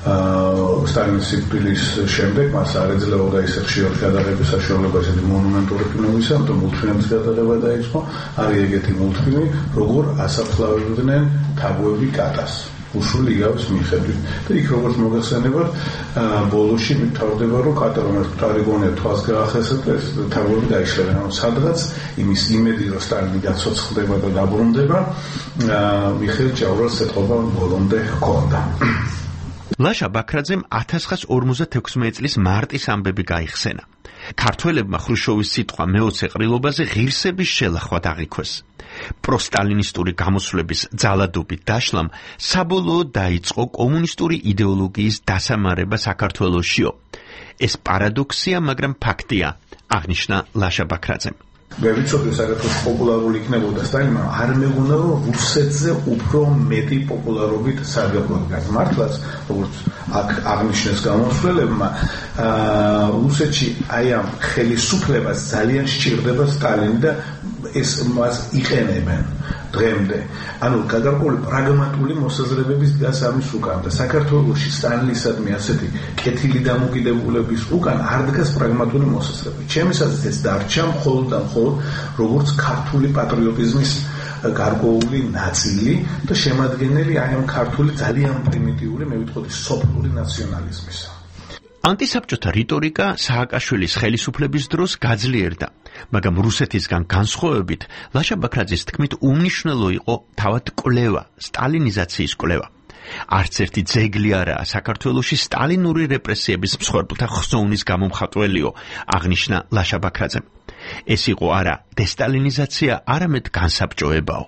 სტალინის სიკვდილის შემდეგ, მას არ ეძლეოდა ისე ხშირად გადაღების საშუალება ესეთი მონუმენტური ფილმებისა, ამიტომ მულტფილმის გადაღება დაიწყო. არის ეგეთი მულტფილმი, როგორ ასაფლავებდნენ თაგვები კატას. უშული იგავს მიხედვით. და იქ როგორც მოგახსენებათ, ბოლოში მთავრდება, რომ კატა რომელიც თარიგონია თვალს გაახესა და ეს თაგვები დაიშლება. სადღაც იმის იმედი, რომ სტალინი გაცოცხლდება და დაბრუნდება, მიხეილ ჭიაურელს ეთყობა ბოლომდე ჰქონდა. ლაშა ბაქრაძემ 1956 წლის მარტის ამბები გაიხსენა. ქართველებმა ხრუშოვის სიტყვა მეოცე ყრილობაზე ღირსების შელახვა დაღიქვეს. პროსტალინისტური გამოსვლების ძალადობით დაშლამ საბოლოოდ დაიწყო კომუნისტური იდეოლოგიის დასამარება საქართველოშიო. ეს პარადოქსია, მაგრამ ფაქტია, აღნიშნა ლაშა ბაქრაძემ. მე ვიცოდი, საქართველოს პოპულარული იქნებოდა სტალინმა, არ მეგონა, რომ რუსეთზე უფრო მეტი პოპულარობით სარგებლობდა. მართლაც, როგორც აქ აღნიშნეს გამოსვლებმა, რუსეთში აი ამ ხელისუფლებას ძალიან სჭირდება სტალინი და ეს მას იყენებენ დღემდე. ანუ გადარკვეული პრაგმატული მოსაზრებების დგას ამის უკან და საქართველოში სტალინისადმი ასეთი კეთილი დამოკიდებულების უკან არ დგას პრაგმატული მოსაზრება. ჩემისათვის ეს დარჩა მხოლოდ და მხოლოდ როგორც ქართული პატრიოტიზმის გარკვეული ნაწილი და შემადგენელი აი ამ ქართული ძალიან პრიმიტიული, მე ვიტყოდი, სოფლური ნაციონალიზმისა. ანტისაბჭოთა რიტორიკა სააკაშვილის ხელისუფლების დროს გაძლიერდა, მაგრამ რუსეთისგან განსხვავებით, ლაშა ბაქრაძის თქმით, უმნიშვნელო იყო თავად კვლევა, სტალინიზაციის კვლევა. არც ერთი ძეგლი არაა საქართველოში სტალინური რეპრესიების მსხვერპლთა ხსოვნის გამომხატველიო, აღნიშნა ლაშა ბაქრაძემ. ეს იყო არა დესტალინიზაცია, არამედ განსაბჭოებაო.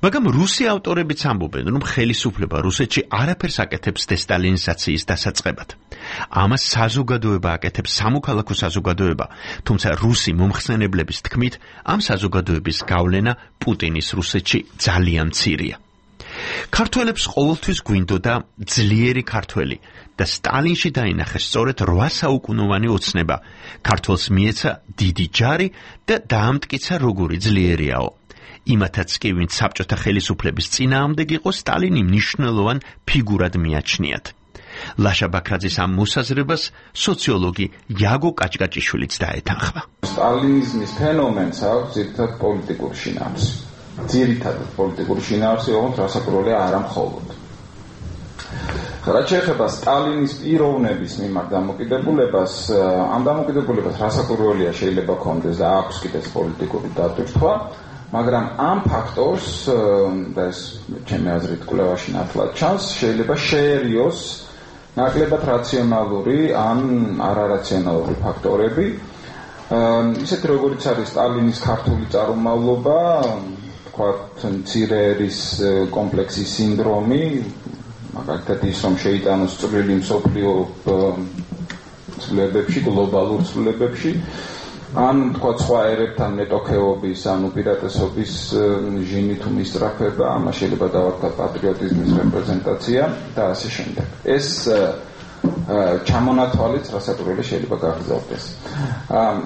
მაგრამ რუსი ავტორებიც ამბობენ, რომ ხელისუფლება რუსეთში არაფერს აკეთებს დესტალინიზაციის დასაწყებად. ამას საზოგადოება აკეთებს, სამოქალაქო საზოგადოება, თუმცა რუსი მომხსენებლების თქმით, ამ საზოგადოების გავლენა პუტინის რუსეთში ძალიან მცირეა. ქართველებს ყოველთვის გვინდოდა ძლიერი ქართველი და სტალინში დაინახეს სწორედ 8 საუკუნოვანი ოცნება. ქართველს მიეცა დიდი ჯარი და დაამტკიცა როგორი ძლიერიაო. იმათაც კი ვინც საბჭოთა ხელისუფლების წინააღმდეგ იყო, სტალინი მნიშვნელოვან ფიგურად მიაჩნიათ. ლაშა ბაქრაძის ამ მოსაზრებას სოციოლოგი იაგო კაჭკაჭიშვილიც დაეთანხმა. სტალინიზმის ფენომენს აქვს ძირითადად პოლიტიკური შინაარსი. ძირითადად პოლიტიკური შინაარსი, ოღონდ რასაკვირველია არა მხოლოდ. რაც შეეხება სტალინის პიროვნების მიმართ დამოკიდებულებას, ამ დამოკიდებულებას რასაკვირველია შეიძლება ქონდეს და აქვს კიდეც პოლიტიკური დატვირთვა, მაგრამ ამ ფაქტორს და ეს ჩემი აზრით კვლევაში ნათლად ჩანს, შეიძლება შეერიოს ნაკლებად რაციონალური ან არარაციონალური ფაქტორები. ისეთ როგორც არის სტალინის ქართული წარმომავლობა, თქვათ, მცირე ერის კომპლექსის სინდრომი, მაგალითად ის, რომ შეიტანოს წვრილი მსოფლიო ცვლილებებში, გლობალურ ცვლილებებში, ან თქვათ სხვა ერებთან მეტოქეობის, ან უპირატესობის ჟინი თუ მისწრაფება, ამას შეიძლება დავარქვათ პატრიოტიზმის რეპრეზენტაცია და ასე შემდეგ. ეს ჩამონათვალიც რასაკვირველი შეიძლება გაგრძელდეს.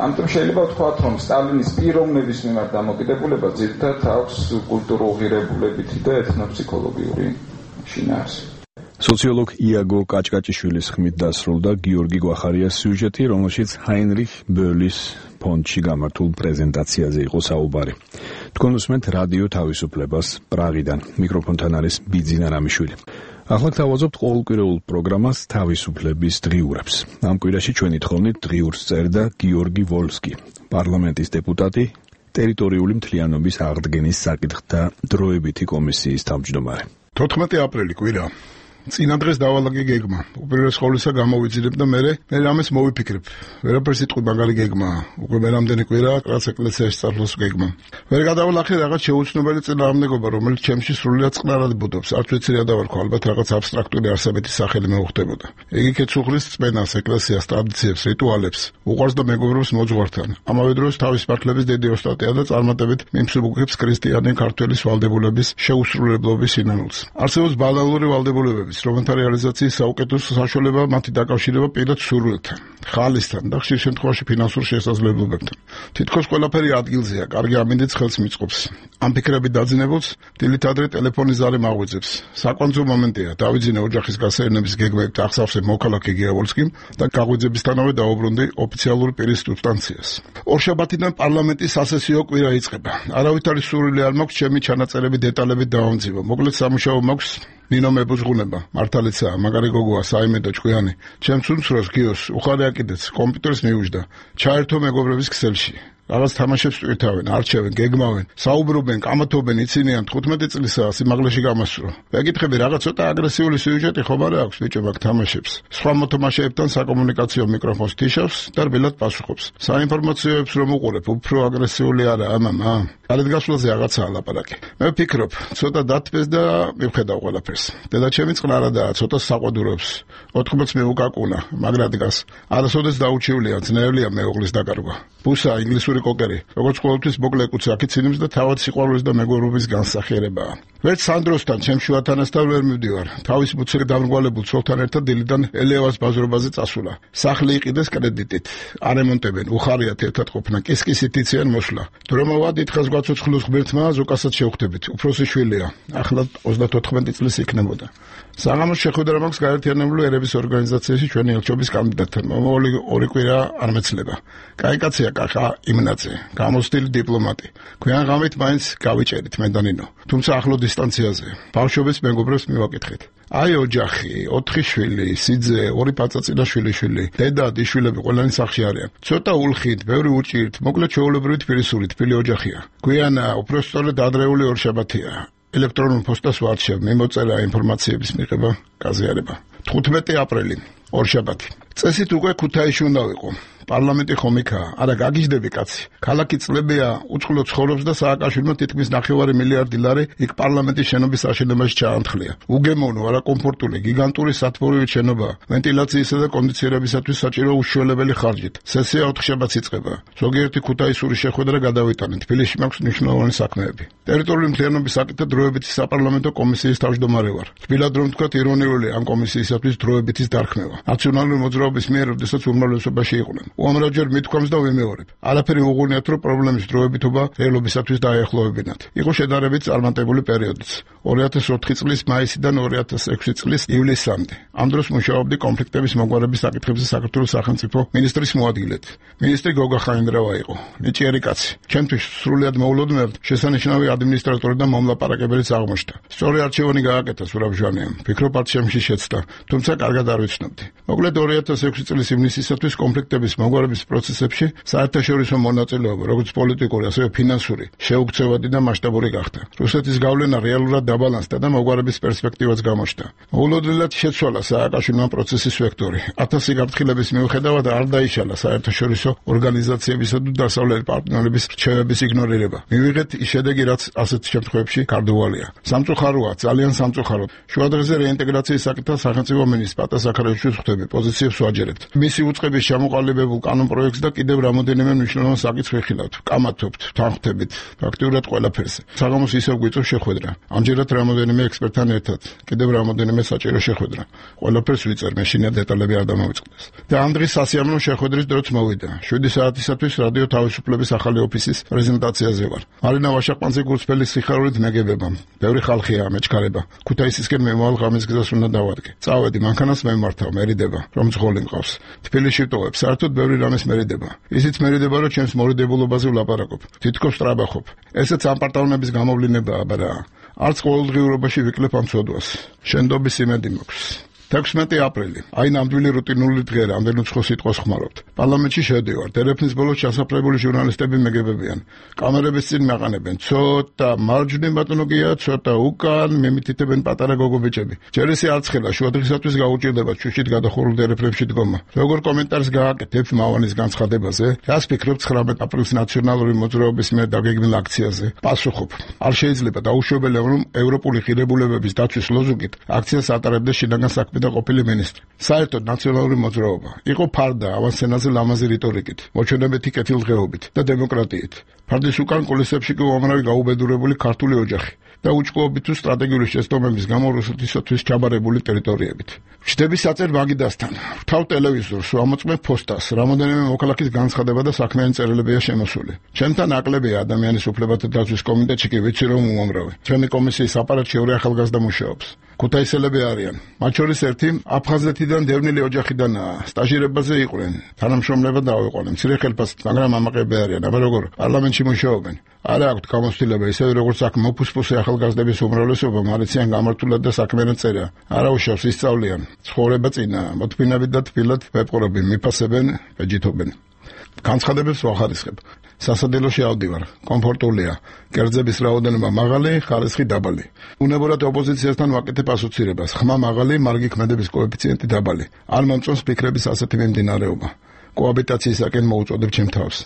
ამიტომ შეიძლება ვთქვათ, რომ სტალინის პიროვნების მიმართ დამოკიდებულება ძირითადად აქვს კულტურულ ღირებულებითი და ეთნოფსიქოლოგიური შინაარსი. სოციოლოგ იაგო კაჭკაჭიშვილის ხმით დასრულდა გიორგი გვახარიას სიუჟეტი, რომელშიც ჰაინრიხ ბერლის ფონდში გამართულ პრეზენტაციაზე იყო საუბარი. თქვენ უსმენთ რადიო თავისუფლებას პრაღიდან. მიკროფონთან არის ბიძინა რამიშვილი. ახლა გთავაზობთ ყოველკვირეულ პროგრამას თავისუფლების დღიურებს. ამ კვირაში ჩვენი თხოვნით დღიურს წერდა გიორგი ვოლსკი, პარლამენტის დეპუტატი, ტერიტორიული მთლიანობის აღდგენის საკითხთა დროებითი კომისიის თავმჯდომარე. 14 აპრილი კვირა. წინა დღეს დავალაგე გეგმა. უპირველეს ყოვლისა გამოვიძინებ და მე რამეს მოვიფიქრებ. ვერაფერს იტყვი მაგარი გეგმა. უკვე მე რამდენი კვირა რაც ეკლესიაში წარსულს გეგმა. ვერ გადავალახე რაღაც შეუცნობელი წინააღმდეგობა, რომელიც ჩემში სრულიად წყნარად ბუდობს. არც ვიცი რა დავარქვა, ალბათ რაღაც აბსტრაქტული არსებითი სახელი მეუხდებოდა. იგი კეცუხლის წმენას, ეკლესიას, ტრადიციებს, რიტუალებს, უყვარს და მეგობრობს მოძღვართან. ამავე დროს თავის პარტლების დიდი ოსტატია და წარმატებით მიმსუბუქებს ქრისტიანი ქართველის ვალდებულების შეუსრულებლობის სინანულს. არსებობს ბანალური ვალდებულებები, რომელთა რეალიზაციის საუკეთესო საშუალება მათი დაკავშირება პირად სურვილთან, ხალისთან და ხშირ შემთხვევაში ფინანსურ შესაძლებლობებთან. თითქოს ყველაფერი ადგილზეა, კარგი ამინდიც ხელს მიწყობს. ამ ფიქრებით დაძინებულს დილით ადრე ტელეფონის ზარი მაღვიძებს. საკვანძო მომენტია, დავიძინე ოჯახის გასეირნების გეგმებით ახსავსე მოქალაქე გიავოლსკიმ და გაღვიძებისთანავე დაუბრუნდი ოფიციალური პირის სუბსტანციას. ორშაბათიდან პარლამენტის სასესიო კვირა იწყება. არავითარი სურვილი არ მაქვს ჩემი ჩანაწერები დეტალებით დავამძიმო. მოკლედ სამუშაო მაქვს ნინო მებუზღუნება, მართალიცაა, მაგარი გოგოა, საიმედო ჭკვიანი. ჩემს უმცროს გიოს უხარე აკიდეც, კომპიუტერს მიუჯდა. ჩაერთო მეგობრების ქსელში. რაღაც თამაშებს ტვირთავენ, არჩევენ, გეგმავენ, საუბრობენ, კამათობენ, იცინიან 15 წლისაა სიმაღლეში გამასვრო. ვეკითხები რაღაც ცოტა აგრესიული სიუჟეტი ხომ არა აქვს ბიჭო მაგ თამაშებს. სხვა მოთამაშეებთან საკომუნიკაციო მიკროფონს თიშავს და რბილად პასუხობს. საინფორმაციოებს რომ უყურებ, უფრო აგრესიული არა, მამა. გარეთ გასვლაზე რაღაცაა ლაპარაკი. მე ვფიქრობ, ცოტა დათბეს და მივხედავ ყველაფერს. დედაჩემი წყნარადაა, ცოტა საყვადურობს. 80 მეუკაკუნა, მაგრად დგას. არასოდეს დაუჩივლია, ძნელია მეუღლის დაკარგვა. ბუსა ინგლისური კოკერი, როგორც ყოველთვის მოკლე კუცი აქიცინებს და თავად სიყვარულის და მეგობრობის განსახიერებაა. ვერც სანდროსთან, ჩემ შუათანასთან ვერ მივდივარ. თავის მუცელი დამრგვალებულ ცოლთან ერთად დილიდან ელევას ბაზრობაზე წასულა. სახლი იყიდეს კრედიტით. არემონტებენ, უხარიათ ერთად ყოფნა, კისკისით იციან მოსვლა. დრომავა დიდხანს გვაცოცხლოს ღმერთმა, ზოგასაც შევხვდებით. უფროსი შვილია. ახლა 34 წლის იქნებოდა. საღამოს შეხვედრა მაქვს გაერთიანებული ერების ორგანიზაციაში ჩვენი ელჩობის კანდიდატთან. მომავალი 2 კვირა არ მეცლება. კაი კაცია კახა იმნაძე, გამოცდილი დიპლომატი. ქვიან ღამით მაინც გავიჭერით მე და ნინო. თუმცა ახლო დისტანციაზე. ბავშვობის მეგობრებს მივაკითხეთ. აი ოჯახი, 4 შვილი, სიძე, 2 პაწაწინა შვილიშვილი, დედა, დიშვილები ყველანი სახლში არიან. ცოტა ულხით, ბევრი უჭირთ, მოკლედ ჩვეულებრივი თბილისური თბილი ოჯახია. გვიანა, უფრო სწორედ ადრეული ორშაბათია. ელექტრონულ პოსტას ვარჩევ, მიმოწერა ინფორმაციების მიღება, გაზიარება. 15 აპრილი, ორშაბათი. წესით უკვე ქუთაისში უნდა ვიყო. პარლამენტი ხომ იქაა? არა, გაგიჟდები კაცი. ქალაქი წლებია, უწყლო ცხოვრობს და სააკაშვილმა თითქმის 9 მილიარდი ლარი იქ პარლამენტის შენობის აშენებაში ჩაანთლია. უგემოვნო, არა კომფორტული, გიგანტური სათბურული შენობა, ვენტილაციისა და კონდიციონირებისათვის საჭირო უშუალებელი ხარჯით. სესია 4 შაბათს იწყება. ზოგიერთი ქუთაისური შეხვედრა გადავიტანეთ. თბილისში მაქვს მნიშვნელოვანი საქმეები. ტერიტორიული მთლიანობის საკითხთა დროებითი საპარლამენტო კომისიის თავმჯდომარე ვარ. თბილად რომ თქვა ირონიული ამ კომისიისათვის დროებითის დარქმევა. ნაციონალური მოძრაობის მიერ, როდესაც უმრავლესობაში იყვნენ. უამრავჯერ მithქვამს და ვიმეორებ. არაფერი უღუნიათ, რომ პრობლემის დროებითობა რეალობისათვის დაეახლოვებინათ. იყო შედარებით წარმატებული პერიოდიც. 2004 წლის მაისიდან 2006 წლის ივლისამდე. ამ დროს მუშაობდი კონფლიქტების მოგვარების საკითხებზე საქართველოს სახელმწიფო მინისტრის მოადგილედ. მინისტრი გოგა ხაინდრავა იყო. ნიჭიერი კაცი. ჩემთვის სრულიად მოულოდნელად შესანიშნავი ადმინისტრატორი და მომლაპარაკებელიც აღმოჩნდა. სწორი არჩევანი გააკეთა სურაბჟანიამ. ფიქრობ არჩევნებში შეცდა, თუმცა კარგად არ ვიცნობდი. მოკლედ 2006 2006 წლის ივნისისათვის კონფლიქტების მოგვარების პროცესებში საერთაშორისო მონაწილეობა, როგორც პოლიტიკური, ასევე ფინანსური, შეუქცევადი და მასშტაბური გახდა. რუსეთის გავლენა რეალურად დაბალანსდა და მოგვარების პერსპექტივაც გამოჩნდა. მოულოდნელად შეცვალა სააკაშვილმა პროცესის ვექტორი. 1000 გაფრთხილების მიუხედავად არ დაიშალა საერთაშორისო ორგანიზაციებისა და დასავლელი პარტნიორების რჩევების იგნორირება. მივიღეთ ის შედეგი, რაც ასეთ შემთხვევებში გარდუვალია. სამწუხაროა, ძალიან სამწუხაროდ. შუადღეზე რეინტეგრაციის საკითხთან სახელმწიფო მინისტრ პატა საქარაშვილი ხვდები პოზიციებს ვაჯერებთ. მისი უწყების ჩამოყალიბებულ კანონპროექტს და კიდევ რამოდენიმე მნიშვნელოვან საკითხს ვიხილავთ. კამათობთ, თანხმდებით, ფაქტიურად ყველაფერზე. საღამოს ისევ გვიწევს შეხვედრა. ამჯერად რამოდენიმე ექსპერტთან ერთად. კიდევ რამოდენიმე საჭირო შეხვედრა. ყველაფერს ვიწერ, მე შინაგან დეტალები არ დამოვიწყდეს. და ამ დღის სასიამოვნო შეხვედრის დროც მოვიდა. 7 საათისათვის რადიო თავისუფლების ახალი ოფისის პრეზენტაციაზე ვარ. მარინა ვაშაყმანძე გულწრფელი სიხარულით მეგებება. ბევრი ხალხია ამეჩქარება. ქუთაისისკენ მომავალ ღამის გზას უნდა დავადგე. წავედი, მანქანას მემართავ, მერიდება, რომ ძღოლი მყავს. თბილისში ვტოვებ, საერთოდ ბევრი რამეს მერიდება. ისიც მერიდება, რომ ჩემს მორიდებულობაზე ვლაპარაკობ. თითქოს ტრაბახობ. ესეც ამ პარტავნების გამოვლინებაა, აბა. არც ყოველდღიურობაში ვიკლებ ამ ცოდვას. შენდობის იმედი მაქვს. 16 აპრილი. აი ნამდვილი რუტინული დღე, რამდენი უცხო სიტყვას ხმარობთ. პარლამენტში შევდივარ. დერეფნის ბოლოს ჩასაფრებული ჟურნალისტები მეგებებიან. კამერების წინ მეყანებენ. ცოტა მარჯვნივ ბატონო გია, ცოტა უკან, მემითითებენ პატარა გოგობიჭები. ჯერ ისე არცხელა შუადღისათვის გაუჭირდება ჩუშით გადახურულ დერეფნებში დგომა. როგორ კომენტარს გააკეთებ მავანის განცხადებაზე? რას ფიქრობ 19 აპრილის ნაციონალური მოძრაობის მიერ დაგეგმილ აქციაზე? პასუხობ. არ შეიძლება დაუშვებელია, რომ ევროპული ღირებულებების დაცვის ლოზუნგით აქციას ატარებდა შინაგან საქმეთა და ყოფილი მინისტრი. საერთოდ ნაციონალური მოძრაობა იყო ფარდა ავანსენაზე ლამაზი რიტორიკით, მოჩვენებითი კეთილდღეობით და დემოკრატიით. ფარდის უკან კულისებში კი უამრავი გაუბედურებული ქართული ოჯახი და უჭკუობით თუ სტრატეგიული შეცდომების გამო რუსეთისათვის ჩაბარებული ტერიტორიებით. ვჩდები საწერ მაგიდასთან, ვთავ ტელევიზორს, ვამოწმებ ფოსტას, რამოდენიმე მოქალაქის განცხადება და საქმიანი წერილებია შემოსული. ჩემთან ნაკლებია ადამიანის უფლებათა დაცვის კომიტეტში კი ვიცი რომ უამრავი. ჩემი კომისიის აპარატში ორი ახალგაზრდა მუშაობს. ქუთაისელები არიან. მათ შორის ერთი აფხაზეთიდან დევნილი ოჯახიდანაა. სტაჟირებაზე იყვნენ. თანამშრომლება დავიყვანე. მცირე ხელფასით, მაგრამ ამაყები არიან. აბა როგორ პარლამენტში მუშაობენ. არ აქვთ გამოცდილება ისე როგორც აქ მოფუსფუსე ახალგაზრდების უმრავლესობა მარიციან გამართულად და საქმიანად წერა. არაუშავს ისწავლიან. ცხოვრება წინაა. მოთმინებით და თბილად ვეპყრობენ, მიფასებენ, ვეჯითობენ. განცხადებებს ვახარისხებ. სასადილოში ავდივარ. კომფორტულია. კერძების რაოდენობა მაღალი, ხარისხი დაბალი. უნებურად ოპოზიციასთან ვაკეთებ ასოცირებას. ხმა მაღალი, მარგი ქმედების კოეფიციენტი დაბალი. არ მომწონს ფიქრების ასეთი მიმდინარეობა. კოაბიტაციისაკენ მოუწოდებ ჩემ თავს.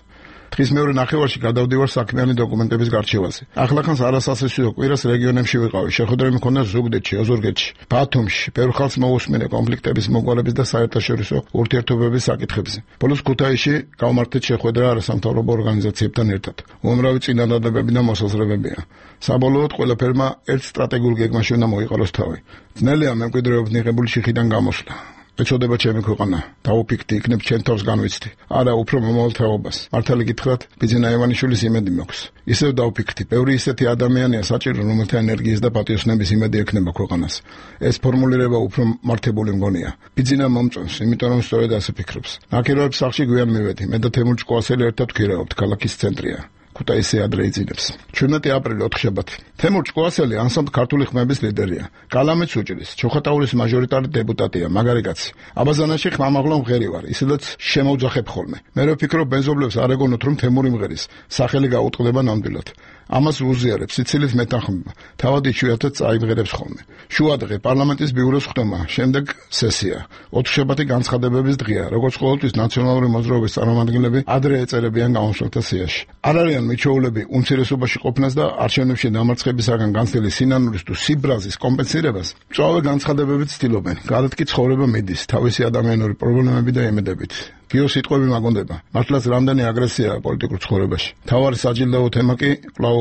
დღის მეორე ნახევარში გადავდივარ საქმიანი დოკუმენტების გარჩევაზე. ახლახანს არასასიცილო კვირას რეგიონებში ვიყავი. შეხვედრები მქონდა ზუგდიდში, ოზურგეთში, ბათუმში. ბევრ ხალხს მოусმინე კონფლიქტების მოგვარების და საერთაშორისო ურთიერთობების საკითხებზე. ბოლოს ქუთაისში გავმართეთ შეხვედრა არასამთავრობო ორგანიზაციებთან ერთად. უამრავი წინადადებები და მოსაზრებებია. საბოლოოდ ყველაფერმა ერთ სტრატეგიულ გეგმაში უნდა მოიყაროს თავი. ძნელია მემკვიდრეობით მიღებული შიხიდან გამოსვლა. ეწოდება ჩემი ქვეყანა. დაუფიქრდი, იქნებ ჩემ თავს განვიცდი. არა, უფრო მომავალ თაობას. მართალი გითხრათ, ბიძინა ივანიშვილის იმედი მაქვს. ისევ დაუფიქრდი. ბევრი ისეთი ადამიანია საჭირო, რომელთა ენერგიის და პატიოსნების იმედი ექნება ქვეყანას. ეს ფორმულირება უფრო მართებული მგონია. ბიძინა მომწონს, იმიტომ რომ სწორედ ასე ფიქრობს. ნაკიროებს სახლში გვიან მივედი. მე და თემურ ჭკუასელი ერთად ვქირავთ, ქალაქის ცენტრია. ქუთაისი ადრე იძინებს. 17 აპრილი 4 შაბათი. თემურ ჭკუასელი ანსამბლ ქართული ხმების ლიდერია. კალამეთს უჭრის. ჩოხატაურის მაჟორიტარი დეპუტატია, მაგარი კაცი. აბაზანაში ხმამაღლა მღერი ვარ, ისედაც შემოვძახებ ხოლმე. მე ვფიქრობ ბენზობლებს არ ეგონოთ რომ თემური მღერის სახელი გაუტყდება ნამდვილად. ამას უზიარებს სიცილით მეთანხმება. თავად იშვიათად წაიმღერებს ხოლმე. შუადღე პარლამენტის ბიუროს ხდომა, შემდეგ სესია. 4 შაბათი განცხადებების დღეა, როგორც ყოველთვის ნაციონალური მოძრაობის წარმომადგენლები ადრე ეწერებიან გამოსვლათა სიაში. არ არიან მიჩვეულები უმცირესობაში ყოფნას და არჩევნებში დამარცხებისაგან განცდილი სინანურის თუ სიბრაზის კომპენსირებას. მწვავე განცხადებებით ცდილობენ. გარეთ კი ცხოვრება მიდის, თავისი ადამიანური პრობლემები და იმედებით. გიო სიტყვები მაგონდება. მართლაც რამდენი აგრესიაა პოლიტიკურ ცხოვრებაში. თავარი საჯილდაო თემა კი კვლავ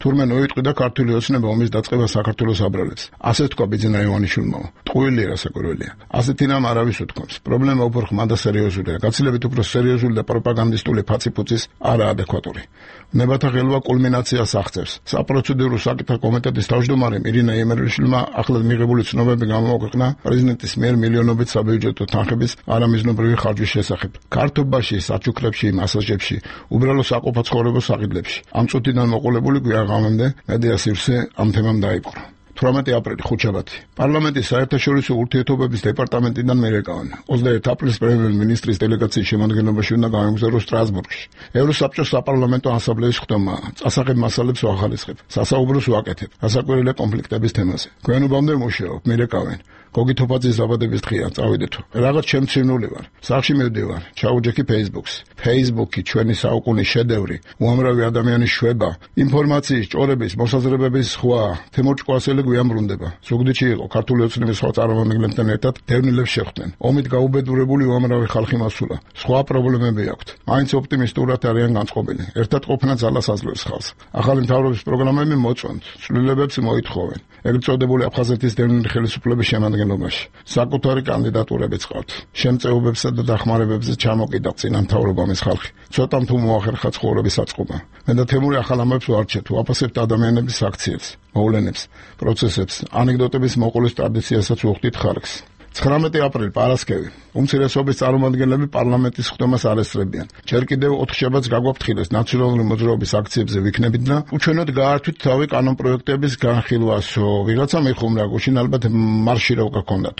თურმე ნოიტყვი და ქართული ოცნება ომის დაწყება საქართველოს აბრალებს. ასე თქვა ბიძინა ივანიშვილმა. ტყუილი რასაკვირველია. ასეთი რამ არავის უთქვამს. პრობლემა უფრო ხმა და სერიოზულია. გაცილებით უფრო სერიოზული და პროპაგანდისტული ფაცი-ფუცის არაადეკვატური. ნებათა ღელვა კულმინაციას აღწევს. საპროცედურო საკითხთა კომიტეტის თავმჯდომარე ირინა ემერიშვილმა ახლად მიღებული ცნობები გამოაქვეყნა პრეზიდენტის მიერ მილიონობით საბიუჯეტო თანხების არამიზნობრივი ხარჯვის შესახებ. ქართობაში, საჩუქრებში, მასაჟებში, უბრალო საყოფა ცხოვრების საყიდლებში. ამ წუთიდან მოყოლებული გვიან ღამემდე მედია სივრცე ამ თემამ დაიპყრო. 18 აპრილი ხუთშაბათი. პარლამენტის საერთაშორისო ურთიერთობების დეპარტამენტიდან მერეკავენ. 21 აპრილს პრემიერ-მინისტრის დელეგაციის შემადგენლობაში უნდა გამოგზავნოს სტრასბურგში. ევროსაბჭოს საპარლამენტო ასამბლეის ხდომა წასაღებ მასალებს ვახალისხებ, სასაუბროს ვაკეთებ ასაკვირველი კონფლიქტების თემაზე. გვიანობამდე მუშაობ, მერეკავენ. გოგი თოფაძის დაბადების დღეა, წავიდეთო. რაღაც შემცირნული ვარ. სახში მივდივარ, ჩაუჯექი Facebook-ს. Facebook-ი ჩვენი საუკუნის შედევრი, უამრავი ადამიანის შვება, ინფორმაციის ჭორების, მოსაზრებების სხვა. თემურ ჭკვასელი გვიამბრუნდება. ზუგდიდში იყო ქართული ოცნების სხვა წარმომადგენლებთან ერთად დევნილებს შეხვდნენ. ომით გაუბედურებული უამრავი ხალხი მასულა. სხვა პრობლემები აქვთ. მაინც ოპტიმისტურად არიან განწყობილი. ერთად ყოფნა ძალას აძლევს ხალხს. ახალი მთავრობის პროგრამები მოწონთ, ცვლილებებს მოითხოვენ. ეგრეთ წოდებული აფხაზეთის დევნილი ხელისუფლების შემადგენლობაში. საკუთარი კანდიდატურებიც ყავთ. შემწეობებსა და დახმარებებზე ჩამოკიდა წინა მთავრობამის ხალხი. ცოტამ თუ მოახერხა ცხოვრების აწყობა. მე და თემური ახალ ამბებს ვარჩევთ, ვაფასებთ ადამიანების აქციებს, მოვლენებს, პროცესებს, ანეკდოტების მოყოლის ტრადიციასაც ვუხდით ხარკს. 19 აპრილი პარასკევი. უმცირესობის წარმომადგენლები პარლამენტის ხდომას არ ესწრებიან. ჯერ კიდევ 4 შაბათს გაგვაფრთხილეს ნაციონალური მოძრაობის აქციებზე ვიქნებით და უჩვენოდ გაართვით თავი კანონპროექტების განხილვასო. ვიღაცა მიხუმრა გუშინ ალბათ მარში რა გქონდათ.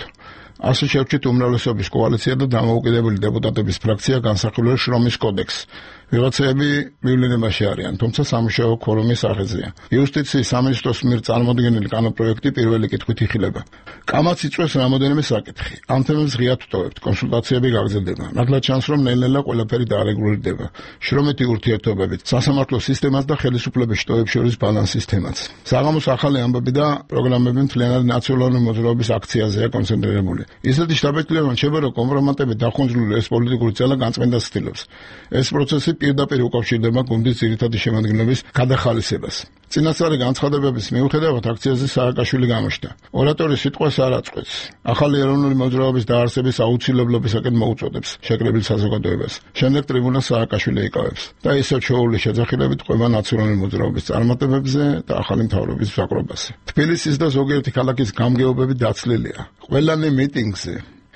ასე შევჭით უმრავლესობის კოალიცია და დამოუკიდებელი დეპუტატების ფრაქცია განსახილველ შრომის კოდექსს. ვიღაცები მივლინებაში არიან, თუმცა სამუშაო ქორუმის აღეზია. იუსტიციის სამინისტროს მიერ წარმოდგენილი კანონპროექტი პირველი კითხვით იხილება. კამაც იწვევს რამოდენიმე საკითხი. ამ თემებს ღიად ვტოვებთ, კონსულტაციები გაგრძელდება. ნათლად ჩანს, რომ ნელ-ნელა ყველაფერი დაარეგულირდება. შრომითი ურთიერთობებით, სასამართლო სისტემას და ხელისუფლების შტოებს შორის ბალანსის თემაც. საღამოს ახალი ამბები და პროგრამები მთლიანად ნაციონალური მოძრაობის აქციაზეა კონცენტრირებული. ისეთი შთაბეჭდილება რჩება, რომ კომპრომატებით დახუნჯლული ეს პოლიტიკური ძალა განწმენდას ცდილობს. ეს პროცესი პირდაპირ უკავშირდება გუნდის ძირითადი შემადგენლობის გადახალისებას. წინასწარი განცხადებების მიუხედავად აქციაზე სააკაშვილი გამოჩნდა. ორატორი სიტყვას არ აწყვეტს. ახალი ეროვნული მოძრაობის დაარსების აუცილებლობისაკენ მოუწოდებს შეკრებილ საზოგადოებას. შემდეგ ტრიბუნას სააკაშვილი იკავებს და ისევ ჩვეული შეძახილებით ყვება ნაციონალური მოძრაობის წარმატებებზე და ახალი მთავრობის მსაკრობაზე. თბილისის და ზოგიერთი ქალაქის გამგეობები დაცლილია. ყველანი მიტინგზე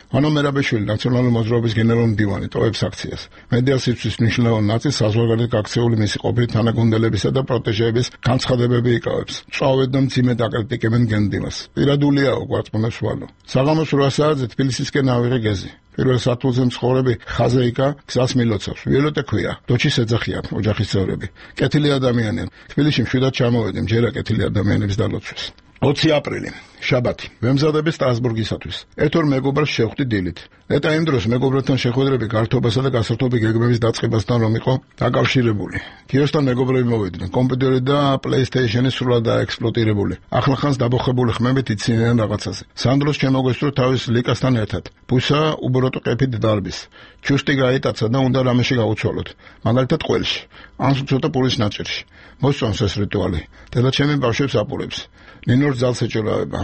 ანუ მერაბეშვილი ნაციონალური მოძრაობის გენერალური მდივანი ტოვებს აქციას. მედია სივრცის მნიშვნელოვან ნაწილს საზღვარგარეთ გაქცეული მისი ყოფილი თანაგუნდელებისა და პროტეჟეების განცხადებები იკავებს. წავედ და მძიმედ აკრიტიკებენ გენდიმას. პირადულიაო გვაწმუნებს ვალო. საღამოს 8 საათზე თბილისისკენ ავიღე გეზი. პირველ სართულზე მცხოვრები ხაზეიკა გზას მილოცავს. ვილოტე ქვია. დოჩის ეძახიან ოჯახის წევრები. კეთილი ადამიანია. თბილისში მშვიდად ჩამოვედი მჯერა კეთილი ადამიანების დალოცვის. 20 აპრილი შაბათი. ვემზადები სტრასბურგისათვის. ერთ-ორ მეგობრს შევხვდი დილით. ნეტა იმ დროს მეგობრებთან შეხვედრები გართობასა და გასართობი გეგმების დაწყებასთან რომ იყო დაკავშირებული. კიოსთან მეგობრები მოვიდნენ. კომპიუტერი და PlayStation-ი სრულად დაექსპლუატირებული. ახლახანს დაბოხებული ხმებით იცინიან რაღაცაზე. სანდროს შემოგვესწრო თავის ლიკასთან ერთად. ბუსა უბოროტო ყეფით დარბის. ჩუსტი გაიტაცა და უნდა რამეში გაუცვალოთ. მაგალითად ყველში. ან ცოტა პურის ნაჭერში. მოსწონს ეს რიტუალი. დედა ჩემი ბავშვებს აპურებს. ნინორ ძალს ეჭოლავება.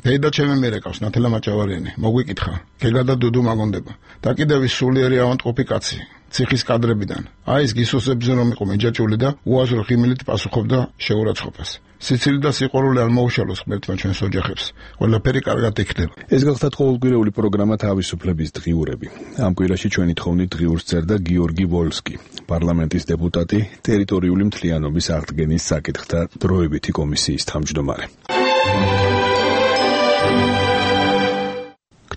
დედა ჩემი მერეკავს ნათელა მაჭავარიანი. მოგვიკითხა. გეგა და დუდუ მაგონდება. და კიდევ ის სულიერი ავანტყოფი კაცი. ციხის კადრებიდან. აი ეს გისოსებზე რომ იყო მეჯაჭული და უაზრო ღიმილით პასუხობდა შეურაცხყოფას. სიცილი და სიყვარული არ მოუშალოს ღმერთმა ჩვენს ოჯახებს. ყველაფერი კარგად იქნება. ეს გახლდათ ყოველკვირეული პროგრამა თავისუფლების დღიურები. ამ კვირაში ჩვენი თხოვნით დღიურს წერდა გიორგი ვოლსკი, პარლამენტის დეპუტატი, ტერიტორიული მთლიანობის აღდგენის საკითხთა დროებითი კომისიის თავმჯდომარე.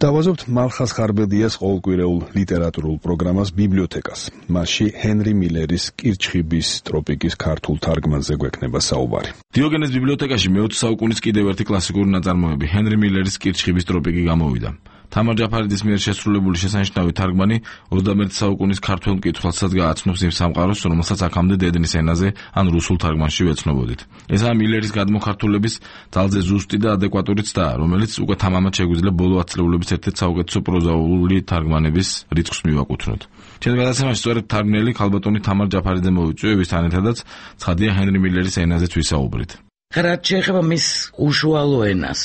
დავაზობთ მალხას ხარბედიას ყოველკვირეულ ლიტერატურულ პროგრამას ბიბლიოთეკას. მასში ჰენრი მილერის კირჩხიბის ტროპიკის ქართულ თარგმანზე გვექნება საუბარი. დიოგენეს ბიბლიოთეკაში მე-20 საუკუნის კიდევ ერთი კლასიკური ნაწარმოები ჰენრი მილერის კირჩხიბის ტროპიკი გამოვიდა. თამარ ჯაფარიძის მიერ შესრულებული შესანიშნავი თარგმანი 21 საუკუნის ქართველ მკითხველსაც გააცნობს იმ სამყაროს, რომელსაც აქამდე დედნის ენაზე ან რუსულ თარგმანში ვეცნობოდით. ესაა მილერის გადმოხართულების ძალზე ზუსტი და ადეკვატური ცდა, რომელიც უკვე თამამად შეგვიძლია ბოლო ათწლეულების ერთ-ერთ საუკეთესო პროზაული თარგმანების რიცხვს მივაკუთვნოთ. ჩვენ გადაცემაში სწორედ თარგმნელი ქალბატონი თამარ ჯაფარიძე მოვიწვია, ვისთან ერთადაც ცხადია ჰენრი მილერის ენაზეც ვისაუბრით. რაც შეეხება მის უშუალო ენას,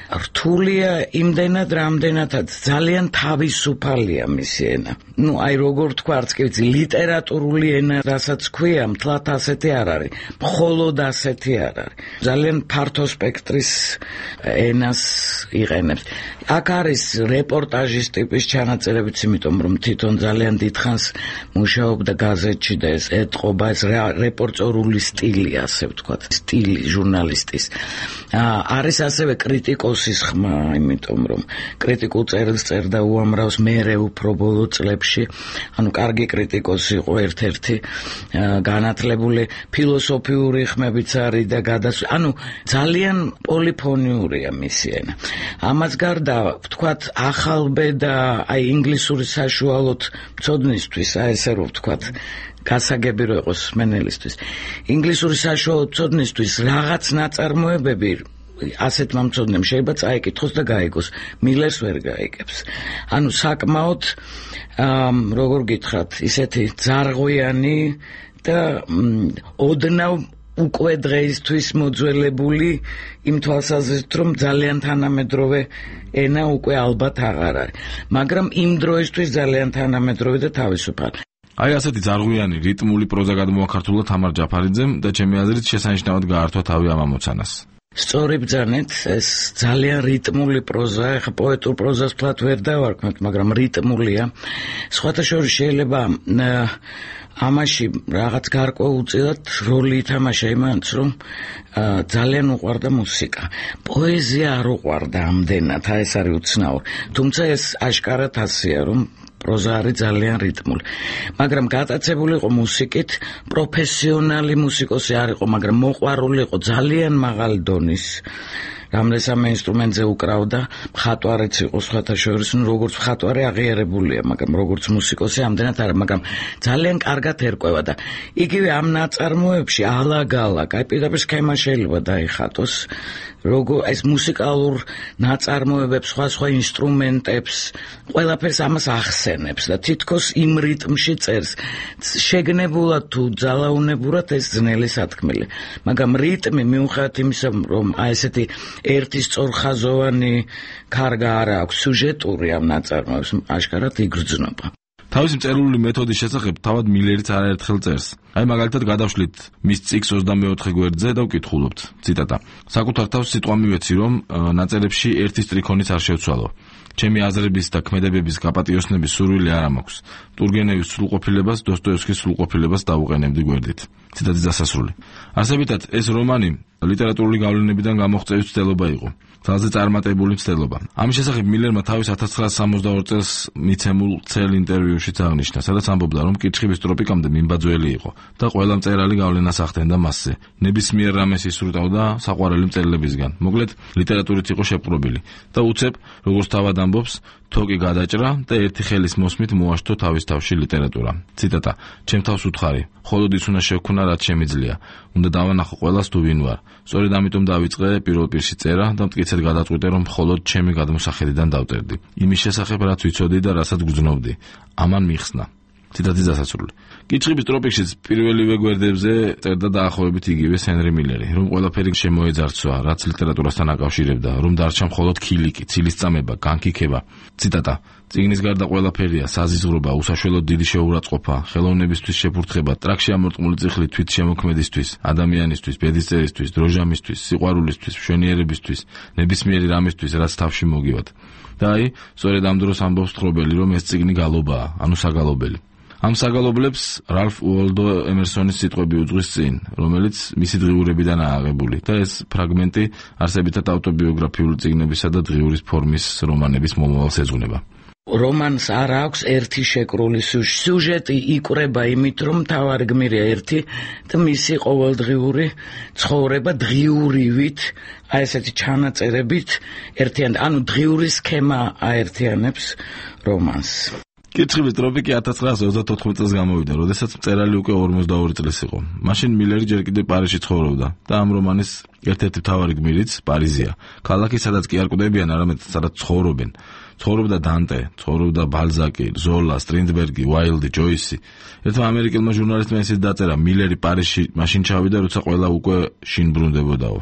რთულია იმდენად, რამდენადაც ძალიან თავისუფალია მისი ენა. აი როგორ თქვა, არც კი ვიცი, ლიტერატურული ენა, რასაც ქვია, მთლად ასეთი არ არის, მხოლოდ ასეთი არ არის. ძალიან ფართო სპექტრის ენას იყენებს. აქ არის რეპორტაჟის ტიპის ჩანაწერებიც, იმიტომ რომ თვითონ ძალიან დიდხანს მუშაობდა გაზეთში და ეს ეტყობა, ეს რეპორტორული სტილი, ასე ვთქვათ, სტილი ჟურნალისტის. არის ასევე კრიტიკოსის ხმა, იმიტომ რომ კრიტიკულ წერილს წერდა უამრავს მერე უფრო ბოლო წლებში, ანუ კარგი კრიტიკოსი იყო ერთ-ერთი, განათლებული ფილოსოფიური ხმებიც არის და ანუ ძალიან პოლიფონიურია მისი ენა. ამას გარდა ვთქვათ ახალბე და აი ინგლისური საშუალოდ მცოდნისთვის, აი ესე რომ ვთქვათ გასაგები რო იყოს მენელისთვის. ინგლისური საშუალო მცოდნისთვის რაღაც ნაწარმოებები ასეთმა მცოდნემ შეიძლება წაიკითხოს და გაიგოს. მილერს ვერ გაიგებს. ანუ საკმაოდ როგორ გითხრათ, ისეთი ძარღვიანი და ოდნავ უკვე დღეისთვის მოძველებული იმ თვალსაზრისით, რომ ძალიან თანამედროვე ენა უკვე ალბათ აღარ არის. მაგრამ იმ დროისთვის ძალიან თანამედროვე და თავისუფალი. აი ასეთი ძარღვიანი რიტმული პროზა გადმოაქართულა თამარ ჯაფარიძემ და ჩემი აზრით შესანიშნავად გაართვა თავი ამ ამოცანას. სწორი ბრძანეთ, ეს ძალიან რიტმული პროზაა, ხა პოეტურ პროზას ფლათ ვერ დავარქმევთ, მაგრამ რიტმულია. სხვათა შორის შეიძლება ამაში რაღაც გარკვეულწილად როლი ითამაშა იმანაც, რომ ძალიან უყვარდა მუსიკა. პოეზია არ უყვარდა ამდენად, ეს არის უცნაური. თუმცა ეს აშკარად ასია, რომ პროზა არის ძალიან რიტმული. მაგრამ გატაცებული იყო მუსიკით, პროფესიონალი მუსიკოსი არ იყო, მაგრამ მოყვარული იყო ძალიან მაღალი დონის. რამდენსამე ინსტრუმენტზე უკრავდა, მხატვარიც იყო სხვათა შორის, როგორც მხატვარი აღიარებულია, მაგრამ როგორც მუსიკოსი ამდენად არა, მაგრამ ძალიან კარგად ერკვევა და იგივე ამ ნაწარმოებში ალაგ-ალაგ, აი პირდაპირ სქემა შეიძლება დაიხატოს, როგორ ეს მუსიკალურ ნაწარმოებებს, სხვა ინსტრუმენტებს, ყველაფერს ამას ახსენებს და თითქოს იმ რიტმში წერს. შეგნებულად თუ ძალაუნებურად ეს ძნელი სათქმელი. მაგრამ რიტმი მიუხედავად იმისა, რომ აი ესეთი ერთი სწორხაზოვანი კარგა არა აქვს, სიუჟეტური ამ ნაწარმოებს აშკარად იგრძნობა. თავისი მწერლული მეთოდის შესახებ თავად მილერიც არაერთხელ წერს. აი მაგალითად გადავშლით მის წიგნს 24 გვერდზე და ვკითხულობთ. ციტატა. საკუთარ თავს სიტყვა მივეცი, რომ ნაწერებში ერთი სტრიქონიც არ შევცვალო. ჩემი აზრების და ქმედებების გაპატიოსნების სურვილი არ მაქვს. ტურგენევის სრულყოფილებას, დოსტოევსკის სრულყოფილებას დავუყენებდი გვერდით. ციტატის დასასრული. არსებითად, ეს რომანი ლიტერატურული გავლენებიდან გამოღწევის მცდელობა იყო. ძალზე წარმატებული მცდელობა. ამის შესახებ მილერმა თავის 1962 წელს მიცემულ ცელ ინტერვიუშიც აღნიშნა, სადაც ამბობდა, რომ კითხვის ტროპიკამდე მიმბაძველი იყო და ყველა მწერალი გავლენას ახდენდა მასზე. ნებისმიერ რამეს ისურტავდა საყვარელი მწერლებისგან. მოკლედ, ლიტერატურით იყო შეპყრობილი და უცებ, როგორც თავად ამბობს, თოკი გადაჭრა და ერთი ხელის მოსმით მოაშთო თავის თავში ლიტერატურა. ციტატა. ჩემ თავს უთხარი, მხოლოდ ის უნდა შევქნა, რაც შემიძლია. უნდა დავანახო ყველას თუ ვინ ვარ. სწორედ ამიტომ დავიწყე პირველ პირში წერა და მტკიცედ გადაწყვიტე, რომ მხოლოდ ჩემი გადმოსახედიდან დავწერდი. იმის შესახებ, რაც ვიცოდი და რასაც გძნობდი. ამან მიხსნა. ციტატის დასასრული. კითხვის ტროპიკშიც პირველივე გვერდებზე წერდა დაახლოებით იგივე ჰენრი მილერი, რომ ყველაფერი შემოეძარცვა, რაც ლიტერატურასთან აკავშირებდა, რომ დარჩა მხოლოდ ქილიკი, ცილისწამება, განკიქება. ციტატა. წიგნის გარდა ყველაფერია, საზიზღრობა, უსაშველოდ დიდი შეურაცხყოფა, ხელოვნებისთვის შეფურთხება, ტრაქში ამორტყმული წიხლი თვით შემოქმედისთვის, ადამიანისთვის, ბედისწერისთვის, დროჟამისთვის, სიყვარულისთვის, მშვენიერებისთვის, ნებისმიერი რამისთვის, რაც თავში მოგივათ. და აი, სწორედ ამ დროს ამბობს თხრობელი, რომ ეს წიგნი გალობაა, ანუ საგალობელი. ამ საგალობლებს რალფ უოლდო ემერსონის სიტყვები უძღვის წინ, რომელიც მისი დღიურებიდანაა აღებული და ეს ფრაგმენტი არსებითად ავტობიოგრაფიული წიგნებისა და დღიურის ფორმის რომანების მომავალს ეძღვნება. რომანს არ აქვს ერთი შეკრული სიუჟეტი, იკვრება იმით, რომ მთავარი გმირია ერთი და მისი ყოველდღიური ცხოვრება დღიურივით, აი ესეთი ჩანაწერებით ერთიანად, ანუ დღიური სქემა აერთიანებს რომანს. კითხვის ტროპიკი 1934 წელს გამოვიდა, როდესაც მწერალი უკვე 42 წლის იყო. მაშინ მილერი ჯერ კიდევ პარიზში ცხოვრობდა და ამ რომანის ერთ-ერთი მთავარი გმირიც პარიზია. ქალაქი, სადაც კი არ კვდებიან, არამედ სადაც ცხოვრობენ. ცხოვრობდა დანტე, ცხოვრობდა ბალზაკი, ზოლა, სტრინდბერგი, უაილდი, ჯოისი. ერთმა ამერიკელმა ჟურნალისტმა ისიც დაწერა, მილერი პარიზში მაშინ ჩავიდა, როცა ყველა უკვე შინ ბრუნდებოდაო.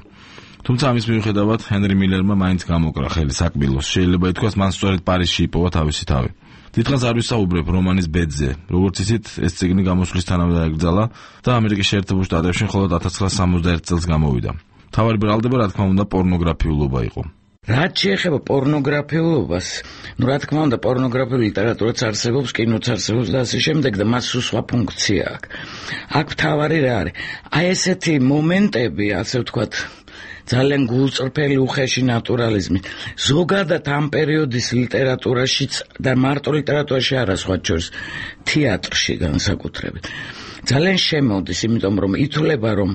თუმცა ამის მიუხედავად, ჰენრი მილერმა მაინც გამოკრა ხელი საკბილოს. შეიძლება ითქვას, მან სწორედ პარიზში იპოვა თავისი თავი. დიდხანს არ ვისაუბრებ რომანის ბედზე, როგორც ისიც ეს წიგნი გამოსვლისთანავე დაეკრძალა და ამერიკის შეერთებულ შტატებში მხოლოდ 1961 წელს გამოვიდა. მთავარი ბრალდება, რა თქმა უნდა, პორნოგრაფიულობა იყო. რაც შეეხება პორნოგრაფიულობას, რა თქმა უნდა, პორნოგრაფიული ლიტერატურაც არსებობს, კინოც არსებობს და ასე შემდეგ და მას სხვა ფუნქცია აქვს. აქ მთავარი რა არის? აი ესეთი მომენტები, ასე ვთქვათ, ძალიან გულწრფელი უხეში ნატურალიზმი. ზოგადად ამ პერიოდის ლიტერატურაშიც და მარტო ლიტერატურაში არა, სხვა შორის თეატრში განსაკუთრებით. ძალიან შემოდის, იმიტომ რომ ითვლება, რომ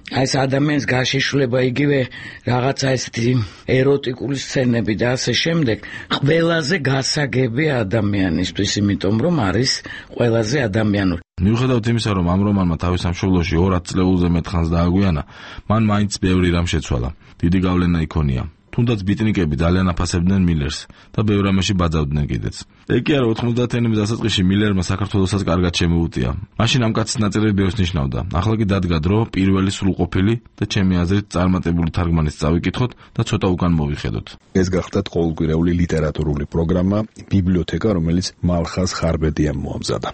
ეს ადამიანის გაშიშვლება იგივე რაღაცა ესეთი ეროტიკული სცენები და ასე შემდეგ ყველაზე გასაგები ადამიანისთვის, იმიტომ რომ არის ყველაზე ადამიანური. მიუხედავად იმისა, რომ ამ რომანმა თავის სამშობლოში 200 წლეულზე მეტ ხანს დააგვიანა, მან მაინც ბევრი რამ შეცვალა. დიდი გავლენა იქონია. თუნდაც ბიტნიკები ძალიან აფასებდნენ მილერს და ბევრ რამეში ბაძავდნენ კიდეც. ეგ კი არა 90-იანების დასაწყისში მილერმა საქართველოსაც კარგად შემოუტია. მაშინ ამ კაცის ნაწილი ბევრს ნიშნავდა. ახლა კი დადგა დრო პირველი სრულყოფილი და ჩემი აზრით წარმატებული თარგმანის წავიკითხოთ და ცოტა უკან მოვიხედოთ. ეს გახლდათ ყოველკვირეული ლიტერატურული პროგრამა ბიბლიოთეკა, რომელიც მალხაზ ხარბედიამ მოამზადა.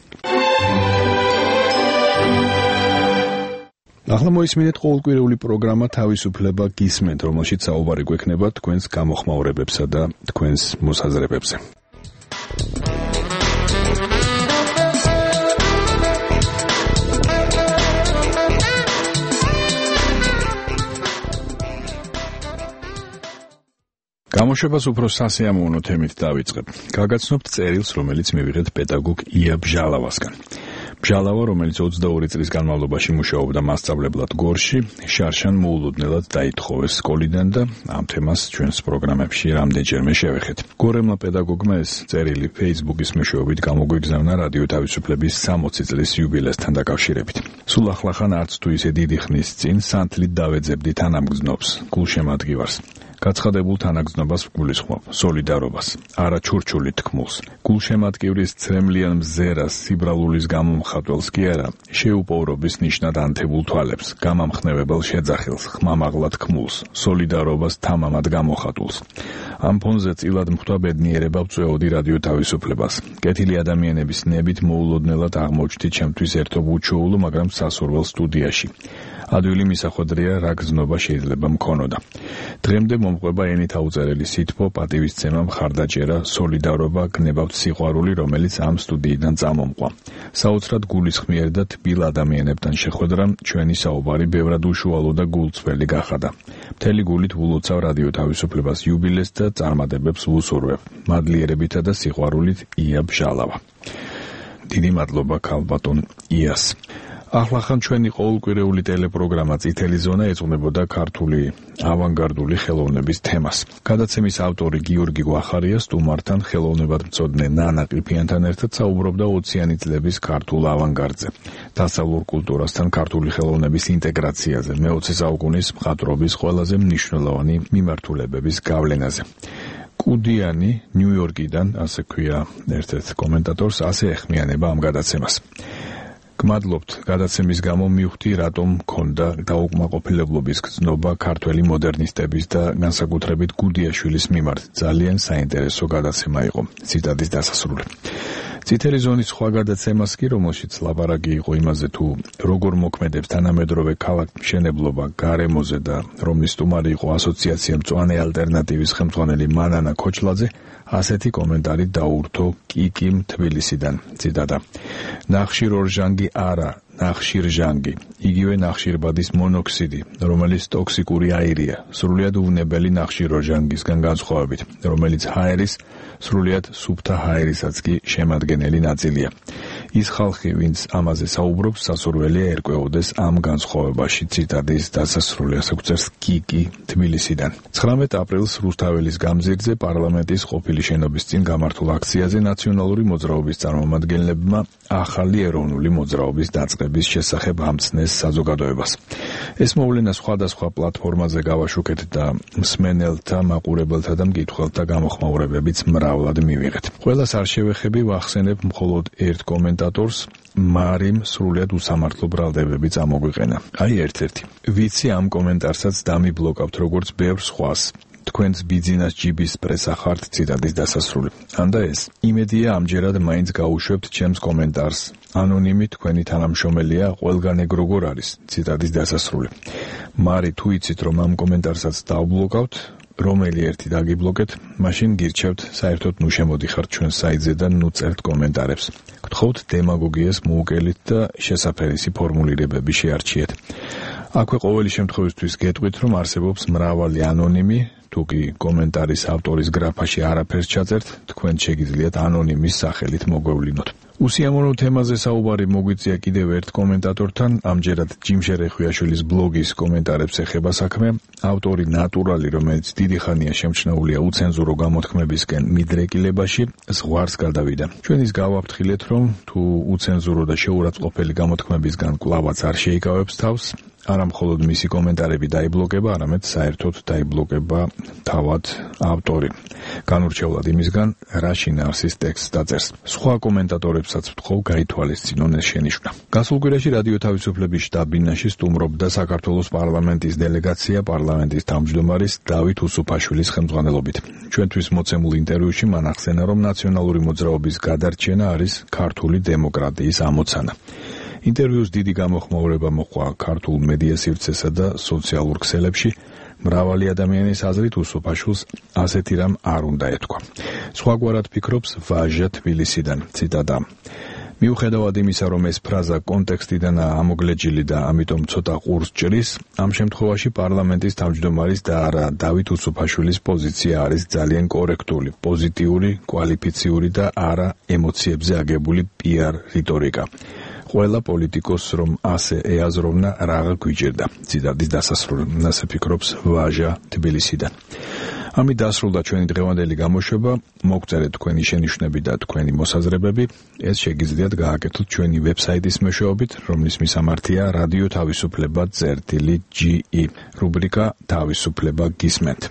ახლა მოისმინეთ ყოველკვირეული პროგრამა თავისუფლება გისმენთ, რომელშიც საუბარი გვექნება თქვენს გამოხმაურებებსა და თქვენს მოსაზრებებზე. გამოშვებას უფრო სასიამოვნო თემით დავიწყებ. გაგაცნობთ წერილს, რომელიც მივიღეთ პედაგოგ ია ბჟალავასგან. ბჟალავა, რომელიც 22 წლის განმავლობაში მუშაობდა მასწავლებლად გორში, შარშან მოულოდნელად დაითხოვეს სკოლიდან და ამ თემას ჩვენს პროგრამებში რამდენჯერმე შევეხეთ. გორემლა პედაგოგმა ეს წერილი Facebook-ის მეშვეობით გამოგვიგზავნა რადიო თავისუფლების 60 წლის იუბილესთან დაკავშირებით. სულ ახლახან არც თუ ისე დიდი ხნის წინ სანთლით დავეძებდით თანამგზნობს, გულშემატკივარს. გაცხადებულ თანაგზნობას ვგულისხმობ, სოლიდარობას, არა ჩურჩულით თქმულს. გულშემატკივრის ცრემლიან მზერას, სიბრალულის გამომხატველს კი არა, შეუპოვრობის ნიშნად ანთებულ თვალებს, გამამხნევებელ შეძახილს, ხმამაღლა თქმულს, სოლიდარობას თამამად გამოხატულს. ამ ფონზე წილად მხტვა ბედნიერება ვწვეოდი რადიო თავისუფლებას. კეთილი ადამიანების ნებით მოულოდნელად აღმოჩნდი ჩემთვის ერთობ უჩვეულო, მაგრამ სასურველ სტუდიაში. ადვილი მისახვედრია, რა გზნობა შეიძლება მქონოდა. დღემდე მომყვება ენით აუწერელი სითბო, პატივისცემა, მხარდაჭერა, სოლიდარობა, გნებავთ სიყვარული, რომელიც ამ სტუდიიდან წამომყვა. საოცრად გულისხმიერ და თბილ ადამიანებთან შეხვედრამ ჩვენი საუბარი ბევრად უშუალო და გულწრფელი გახადა. მთელი გულით ვულოცავ რადიო თავისუფლებას იუბილეს და წარმატებებს ვუსურვებ. მადლიერებითა და სიყვარულით ია ბჟალავა. დიდი მადლობა ქალბატონ იას. ახლახან ჩვენი ყოველკვირეული ტელეპროგრამა წითელი ზონა ეძღვნებოდა ქართული ავანგარდული ხელოვნების თემას. გადაცემის ავტორი გიორგი გვახარია სტუმართან ხელოვნებადმცოდნე ნანა ყიფიანთან ერთად საუბრობდა 20-იანი წლების ქართულ ავანგარდზე, დასავლურ კულტურასთან ქართული ხელოვნების ინტეგრაციაზე, მე-20 საუკუნის მხატვრობის ყველაზე მნიშვნელოვანი მიმართულებების გავლენაზე. კუდიანი ნიუ-იორკიდან, ასე ქვია ერთ-ერთ კომენტატორს, ასე ეხმიანება ამ გადაცემას. გმადლობთ გადაცემის გამო მივხვდი რატომ მქონდა დაუკმაყოფილებლობის გრძნობა ქართველი მოდერნისტების და განსაკუთრებით გუდიაშვილის მიმართ. ძალიან საინტერესო გადაცემა იყო. ციტატის დასასრული. წითელი ზონის სხვა გადაცემას კი, რომელშიც ლაპარაკი იყო იმაზე თუ როგორ მოქმედებს თანამედროვე ქალაქ-მშენებლობა გარემოზე და რომლის სტუმარი იყო ასოციაცია მწვანე ალტერნატივის ხელმძღვანელი მანანა ქოჩლაძე, ასეთი კომენტარი დაურთო კიკიმ თბილისიდან. ციტატა. ნახშირორჟანგი არა, ნახშირჟანგი. იგივე ნახშირბადის მონოქსიდი, რომელიც ტოქსიკური აირია, სრულიად უვნებელი ნახშირორჟანგისგან განსხვავებით, რომელიც ჰაერის, სრულიად სუფთა ჰაერისაც კი შემადგენელი ნაწილია. ის ხალხი, ვინც ამაზე საუბრობს, სასურველია ერკვეოდეს ამ განსხვავებაში. ციტატის დასასრული, ასე გვწერს კიკი თბილისიდან. 19 აპრილს რუსთაველის გამზირზე პარლამენტის ყოფილი შენობის წინ გამართულ აქციაზე ნაციონალური მოძრაობის წარმომადგენლებმა ახალი ეროვნული მოძრაობის დაწყების შესახებ ამცნეს საზოგადოებას. ეს მოვლენა სხვადასხვა პლატფორმაზე გავაშუქეთ და მსმენელთა, მაყურებელთა და მკითხველთა გამოხმაურებებიც მრავლად მივიღეთ. ყველას არ შევეხები, ვახსენებ მხოლოდ ერთ კომენტატორს, მარიმ სრულიად უსამართლო ბრალდებები წამოგვიყენა. აი ერთ-ერთი. ვიცი ამ კომენტარსაც დამიბლოკავთ როგორც ბევრ სხვას. თქვენს ბიძინას ჯიბის პრესა ხართ. ციტატის დასასრული. ანდა ეს. იმედია ამჯერად მაინც გაუშვებთ ჩემს კომენტარს. ანონიმი თქვენი თანამშრომელია, ყველგან ეგ როგორ არის. ციტატის დასასრული. მარი თუ იცით რომ ამ კომენტარსაც დავბლოკავთ, რომელი ერთი დაგიბლოკეთ, მაშინ გირჩევთ საერთოდ ნუ შემოდიხართ ჩვენ საიტზე და ნუ წერთ კომენტარებს. გთხოვთ დემაგოგიას მოუკელით და შესაფერისი ფორმულირებები შეარჩიეთ. აქვე ყოველი შემთხვევისთვის გეტყვით, რომ არსებობს მრავალი ანონიმი, თუ კი კომენტარის ავტორის გრაფაში არაფერს ჩაწერთ, თქვენ შეგიძლიათ ანონიმის სახელით მოგვევლინოთ. უსიამოვნო თემაზე საუბარი მოგვიწია კიდევ ერთ კომენტატორთან, ამჯერად ჯიმშე რეხვიაშვილის ბლოგის კომენტარებს ეხება საქმე. ავტორი ნატურალი, რომელიც დიდი ხანია შემჩნეულია უცენზურო გამოთქმებისკენ მიდრეკილებაში, ზღვარს გადავიდა. ჩვენ ის გავაფრთხილეთ, რომ თუ უცენზურო და შეურაცხყოფელი გამოთქმებისგან კვლავაც არ შეიკავებს თავს, არა მხოლოდ მისი კომენტარები დაიბლოკება, არამედ საერთოდ დაიბლოკება თავად ავტორი. განურჩევლად იმისგან, რა შინაარსის ტექსტს დაწერს. სხვა კომენტატორებსაც ვთხოვ გაითვალისწინონ ეს შენიშვნა. გასულ კვირაში რადიო თავისუფლების შტაბ-ბინაში სტუმრობდა საქართველოს პარლამენტის დელეგაცია პარლამენტის თავმჯდომარის დავით უსუფაშვილის ხელმძღვანელობით. ჩვენთვის მოცემულ ინტერვიუში მან ახსენა, რომ ნაციონალური მოძრაობის გადარჩენა არის ქართული დემოკრატიის ამოცანა. ინტერვიუს დიდი გამოხმაურება მოჰყვა ქართულ მედია სივრცესა და სოციალურ ქსელებში. მრავალი ადამიანის აზრით უსუფაშვილს ასეთი რამ არ უნდა ეთქვა. სხვაგვარად ფიქრობს ვაჟა თბილისიდან. ციტატა: მიუხედავად იმისა, რომ ეს ფრაზა კონტექსტიდანაა ამოგლეჯილი და ამიტომ ცოტა ყურს ჭრის, ამ შემთხვევაში პარლამენტის თავმჯდომარის და არა დავით უსუფაშვილის პოზიცია არის ძალიან კორექტული, პოზიტიური, კვალიფიციური და არა ემოციებზე აგებული PR რიტორიკა. ყველა პოლიტიკოს რომ ასე ეაზროვნა, რაღა გვიჭირდა. ციტატის დასასრული. ასე ფიქრობს ვაჟა თბილისიდან. ამით დასრულდა ჩვენი დღევანდელი გამოშვება. მოგწერეთ თქვენი შენიშვნები და თქვენი მოსაზრებები. ეს შეგიძლიათ გააკეთოთ ჩვენი ვებსაიტის მეშვეობით, რომლის მისამართია რადიო თავისუფლება.ge. რუბრიკა თავისუფლება გისმენთ.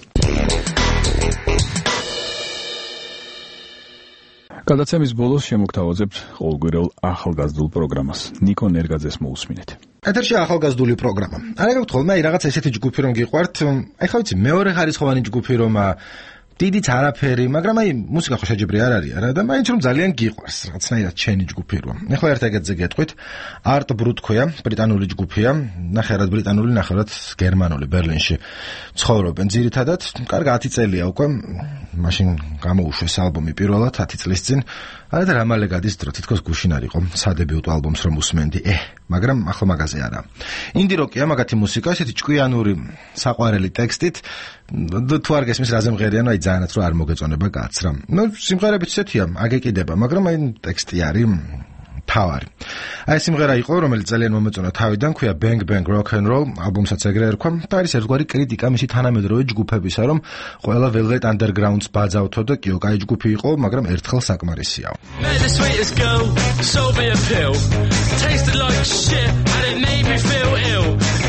გადაცემის ბოლოს შემოგთავაზებთ ყოველკვირეულ ახალგაზრდულ პროგრამას. ნიკო ნერგაძეს მოусმინეთ. ეთერში ახალგაზრდული პროგრამა. არა გქონდა რაღაც ესეთი ჯგუფი რომ გიყვართ. ეხლა ვიცი მეორე ხარისხოვანი ჯგუფი რომ დიდიც არაფერი, მაგრამ მუსიკა ხო შეჯიბრი არ არის, არა და მაინც რომ ძალიან გიყვარს, რაღაცნაირად ჩენი ჯგუფი რომ. ეხლა ერთ ეგეთზე გეტყვით. Art Brut ქვია, ბრიტანული ჯგუფია, ნახევრად ბრიტანული, ნახევრად გერმანული, ბერლინში ცხოვრობენ ძირითადად. კარგი 10 წელია უკვე, მაშინ გამოუშვეს ალბომი პირველად 10 წლის წინ. არა და რამალე გადის დრო, თითქოს გუშინ არ იყო სადებიუტო ალბომს რომ უსმენდი. მაგრამ ახლა მაგაზე არა. ინდი როკია, მაგათი მუსიკა, ესეთი ჭკვიანური, საყვარელი ტექსტით. თუ არ გესმის რაზე მღერიან, ძალიანაც რომ არ მოგეწონება კაც რა. სიმღერებიც ესეთია, აგეკიდება, მაგრამ ტექსტი არის თავარი. ეს სიმღერა იყო, რომელიც ძალიან მომეწონა თავიდან, ქვია Bang Bang Rock and Roll, ალბომსაც ეგრე ერქვა. და არის ერთგვარი კრიტიკა მისი თანამედროვე ჯგუფებისა, რომ ყველა Velvet Underground-ს ბაძავთო და კიო, კაი ჯგუფი იყო, მაგრამ ერთხელ საკმარისიაო.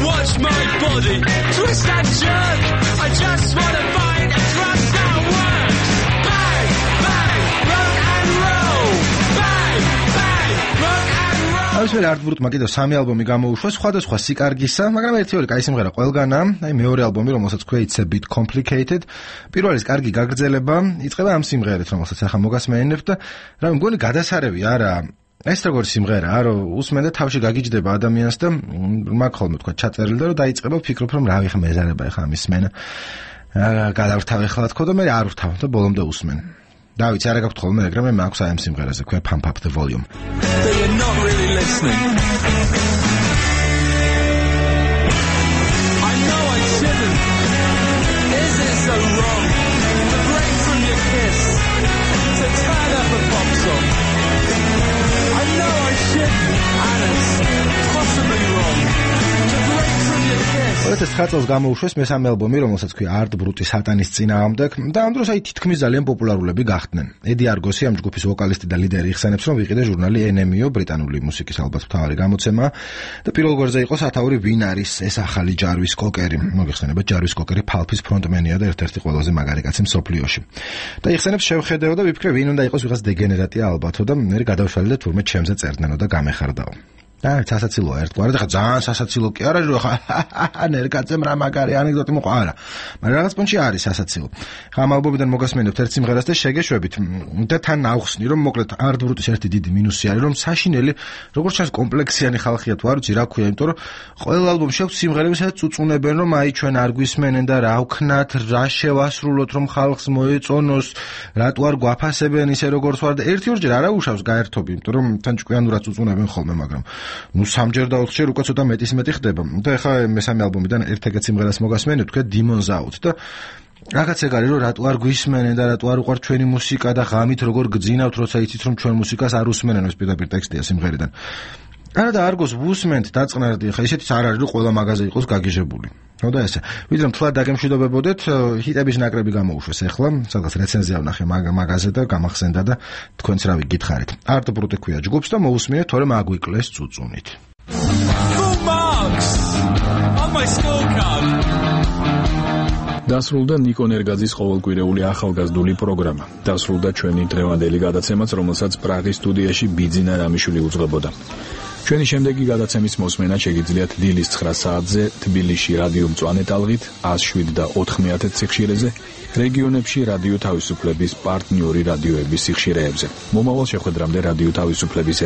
Watch my body twist and jerk. I just wanna find a drug that works. Bang, bang, rock and roll. Bang, bang, rock and roll. ეს ვერ Art Brut-მა კიდევ 3 ალბომი გამოუშვა, სხვადასხვა სიკარგისა, მაგრამ ერთი ორი კაი სიმღერა ყველგანაა. მეორე ალბომი, რომელსაც ქვია It's a bit complicated. პირველის კარგი გაგრძელება იწყება ამ სიმღერით, რომელსაც ახლა მოგასმენებთ და რა მგონი გადასარევი არა. ეს როგორ სიმღერაა, რომ უსმენ და თავში გაგიჯდება ადამიანს და მაგ ხოლმე თქვა ჩაწერილი და რომ დაიწყება ფიქრობ რომ რავი ხა მეზარება ხა ამის სმენა. გადავრთავ ახლა თქო და მე არ ვთავ და ბოლომდე უსმენ. დავით არა გაქვთ ხოლმე ეგრე მე მაქვს აი ამ სიმღერაზე ქვია Pump Up the Volume. They're not really listening. I know I shouldn't. Is it so wrong to break from your kiss, to turn up a pop song? I know I shouldn't, and it's possibly wrong to break from your kiss. ეს 9 წელს გამოუშვეს მესამე ალბომი, რომელსაც ქვია Art Brut-ის სატანის წინააღმდეგ და ამ დროს თითქმის ძალიან პოპულარულები გახდნენ. ედი არგოსი ამ ჯგუფის ვოკალისტი და ლიდერი იხსენებს, რომ ვიყიდე ჟურნალი NME, ბრიტანული მუსიკის ალბათ მთავარი გამოცემა და პირველ გვერდზე იყო სათაური ვინ არის ეს ახალი ჯარვის კოკერი. მოგეხსენებათ, ჯარვის კოკერი Pulp-ის ფრონტმენია და ერთ-ერთი ყველაზე მაგარი კაცი მსოფლიოში. და იხსენებს შევხედეო და ვიფიქრე ვინ უნდა იყოს ვიღაც დეგენერატია ალბათო და მე გადავშალე და თურმე ჩემზე წერდნენო და გამეხარდაო. და სასაცილოა ერთგვარად, ხა ძალიან სასაცილო კი არა, რომ ხა ნერკაცემ რა მაგარი ანეკდოტი მოყვა არა. მაგრამ რაღაც პონჩი არის სასაცილო. ხა ამ ალბომიდან მოგასმენებთ ერთ სიმღერას და შეგეშვებით და თან ავხსნი, რომ მოკლედ არტ ბრუტის ერთი დიდი მინუსი არის, რომ საშინელი, როგორც ჩანს კომპლექსიანი ხალხია თუ არ ვიცი რა ქვია, იმიტომ რომ ყველა ალბომში აქვს სიმღერები, სადაც უწუნებენ, რომ აი ჩვენ არ გვისმენენ და რა ვქნათ, რა შევასრულოთ, რომ ხალხს მოეწონოს, რატო არ გვაფასებენ ისე როგორც ვარ და ერთი-ორჯერ არა უშავს გაერთობი, იმიტომ რომ თან ჭკვიანურად უწუნებენ ხოლმე, მაგრამ ნუ სამჯერ და ოთხჯერ უკვე ცოტა მეტი ხდება. და ეხლა მესამე ალბომიდან ერთ-ერთ სიმღერას მოგასმენთ, თქვა Demons Out და რაღაც ეგ არის, რომ რატო არ გვისმენენ და რატო არ უყვართ ჩვენი მუსიკა და ღამით როგორ გძინავთ, როცა იცით რომ ჩვენ მუსიკას არ უსმენენ, ეს პირდაპირ ტექსტია სიმღერიდან. არა და არგოს ვუსმენთ დაწყნარდი, ხა ისეთი არ არის, რომ ყველა მაღაზია იყოს გაგიჟებული. ხო და ესე. ვიდრე მთლად დაგემშვიდობებოდეთ, ჰიტების ნაკრები გამოუშვეს ახლა, სადღაც რეცენზია ვნახე მაღაზია და გამახსენდა და თქვენც რავი გითხარით. არტ ბრუტი ქვია ჯგუფს და მოусმინეთ, თორემ აგვიკლეს წუწუნით. დასრულდა ნიკო ნერგაძის ყოველკვირეული ახალგაზრდული პროგრამა. დასრულდა ჩვენი დღევანდელი გადაცემაც, რომელსაც პრაღის სტუდიაში ბიძინა რამიშვილი უძღვებოდა. ჩვენი შემდეგი გადაცემის მოსმენა შეგიძლიათ დილის 9 საათზე თბილისში რადიო მწვანე ტალღით 107 და 90 სიხშირეზე, რეგიონებში რადიო თავისუფლების პარტნიორი რადიოების სიხშირეებზე. მომავალ შეხვედრამდე რადიო თავისუფლების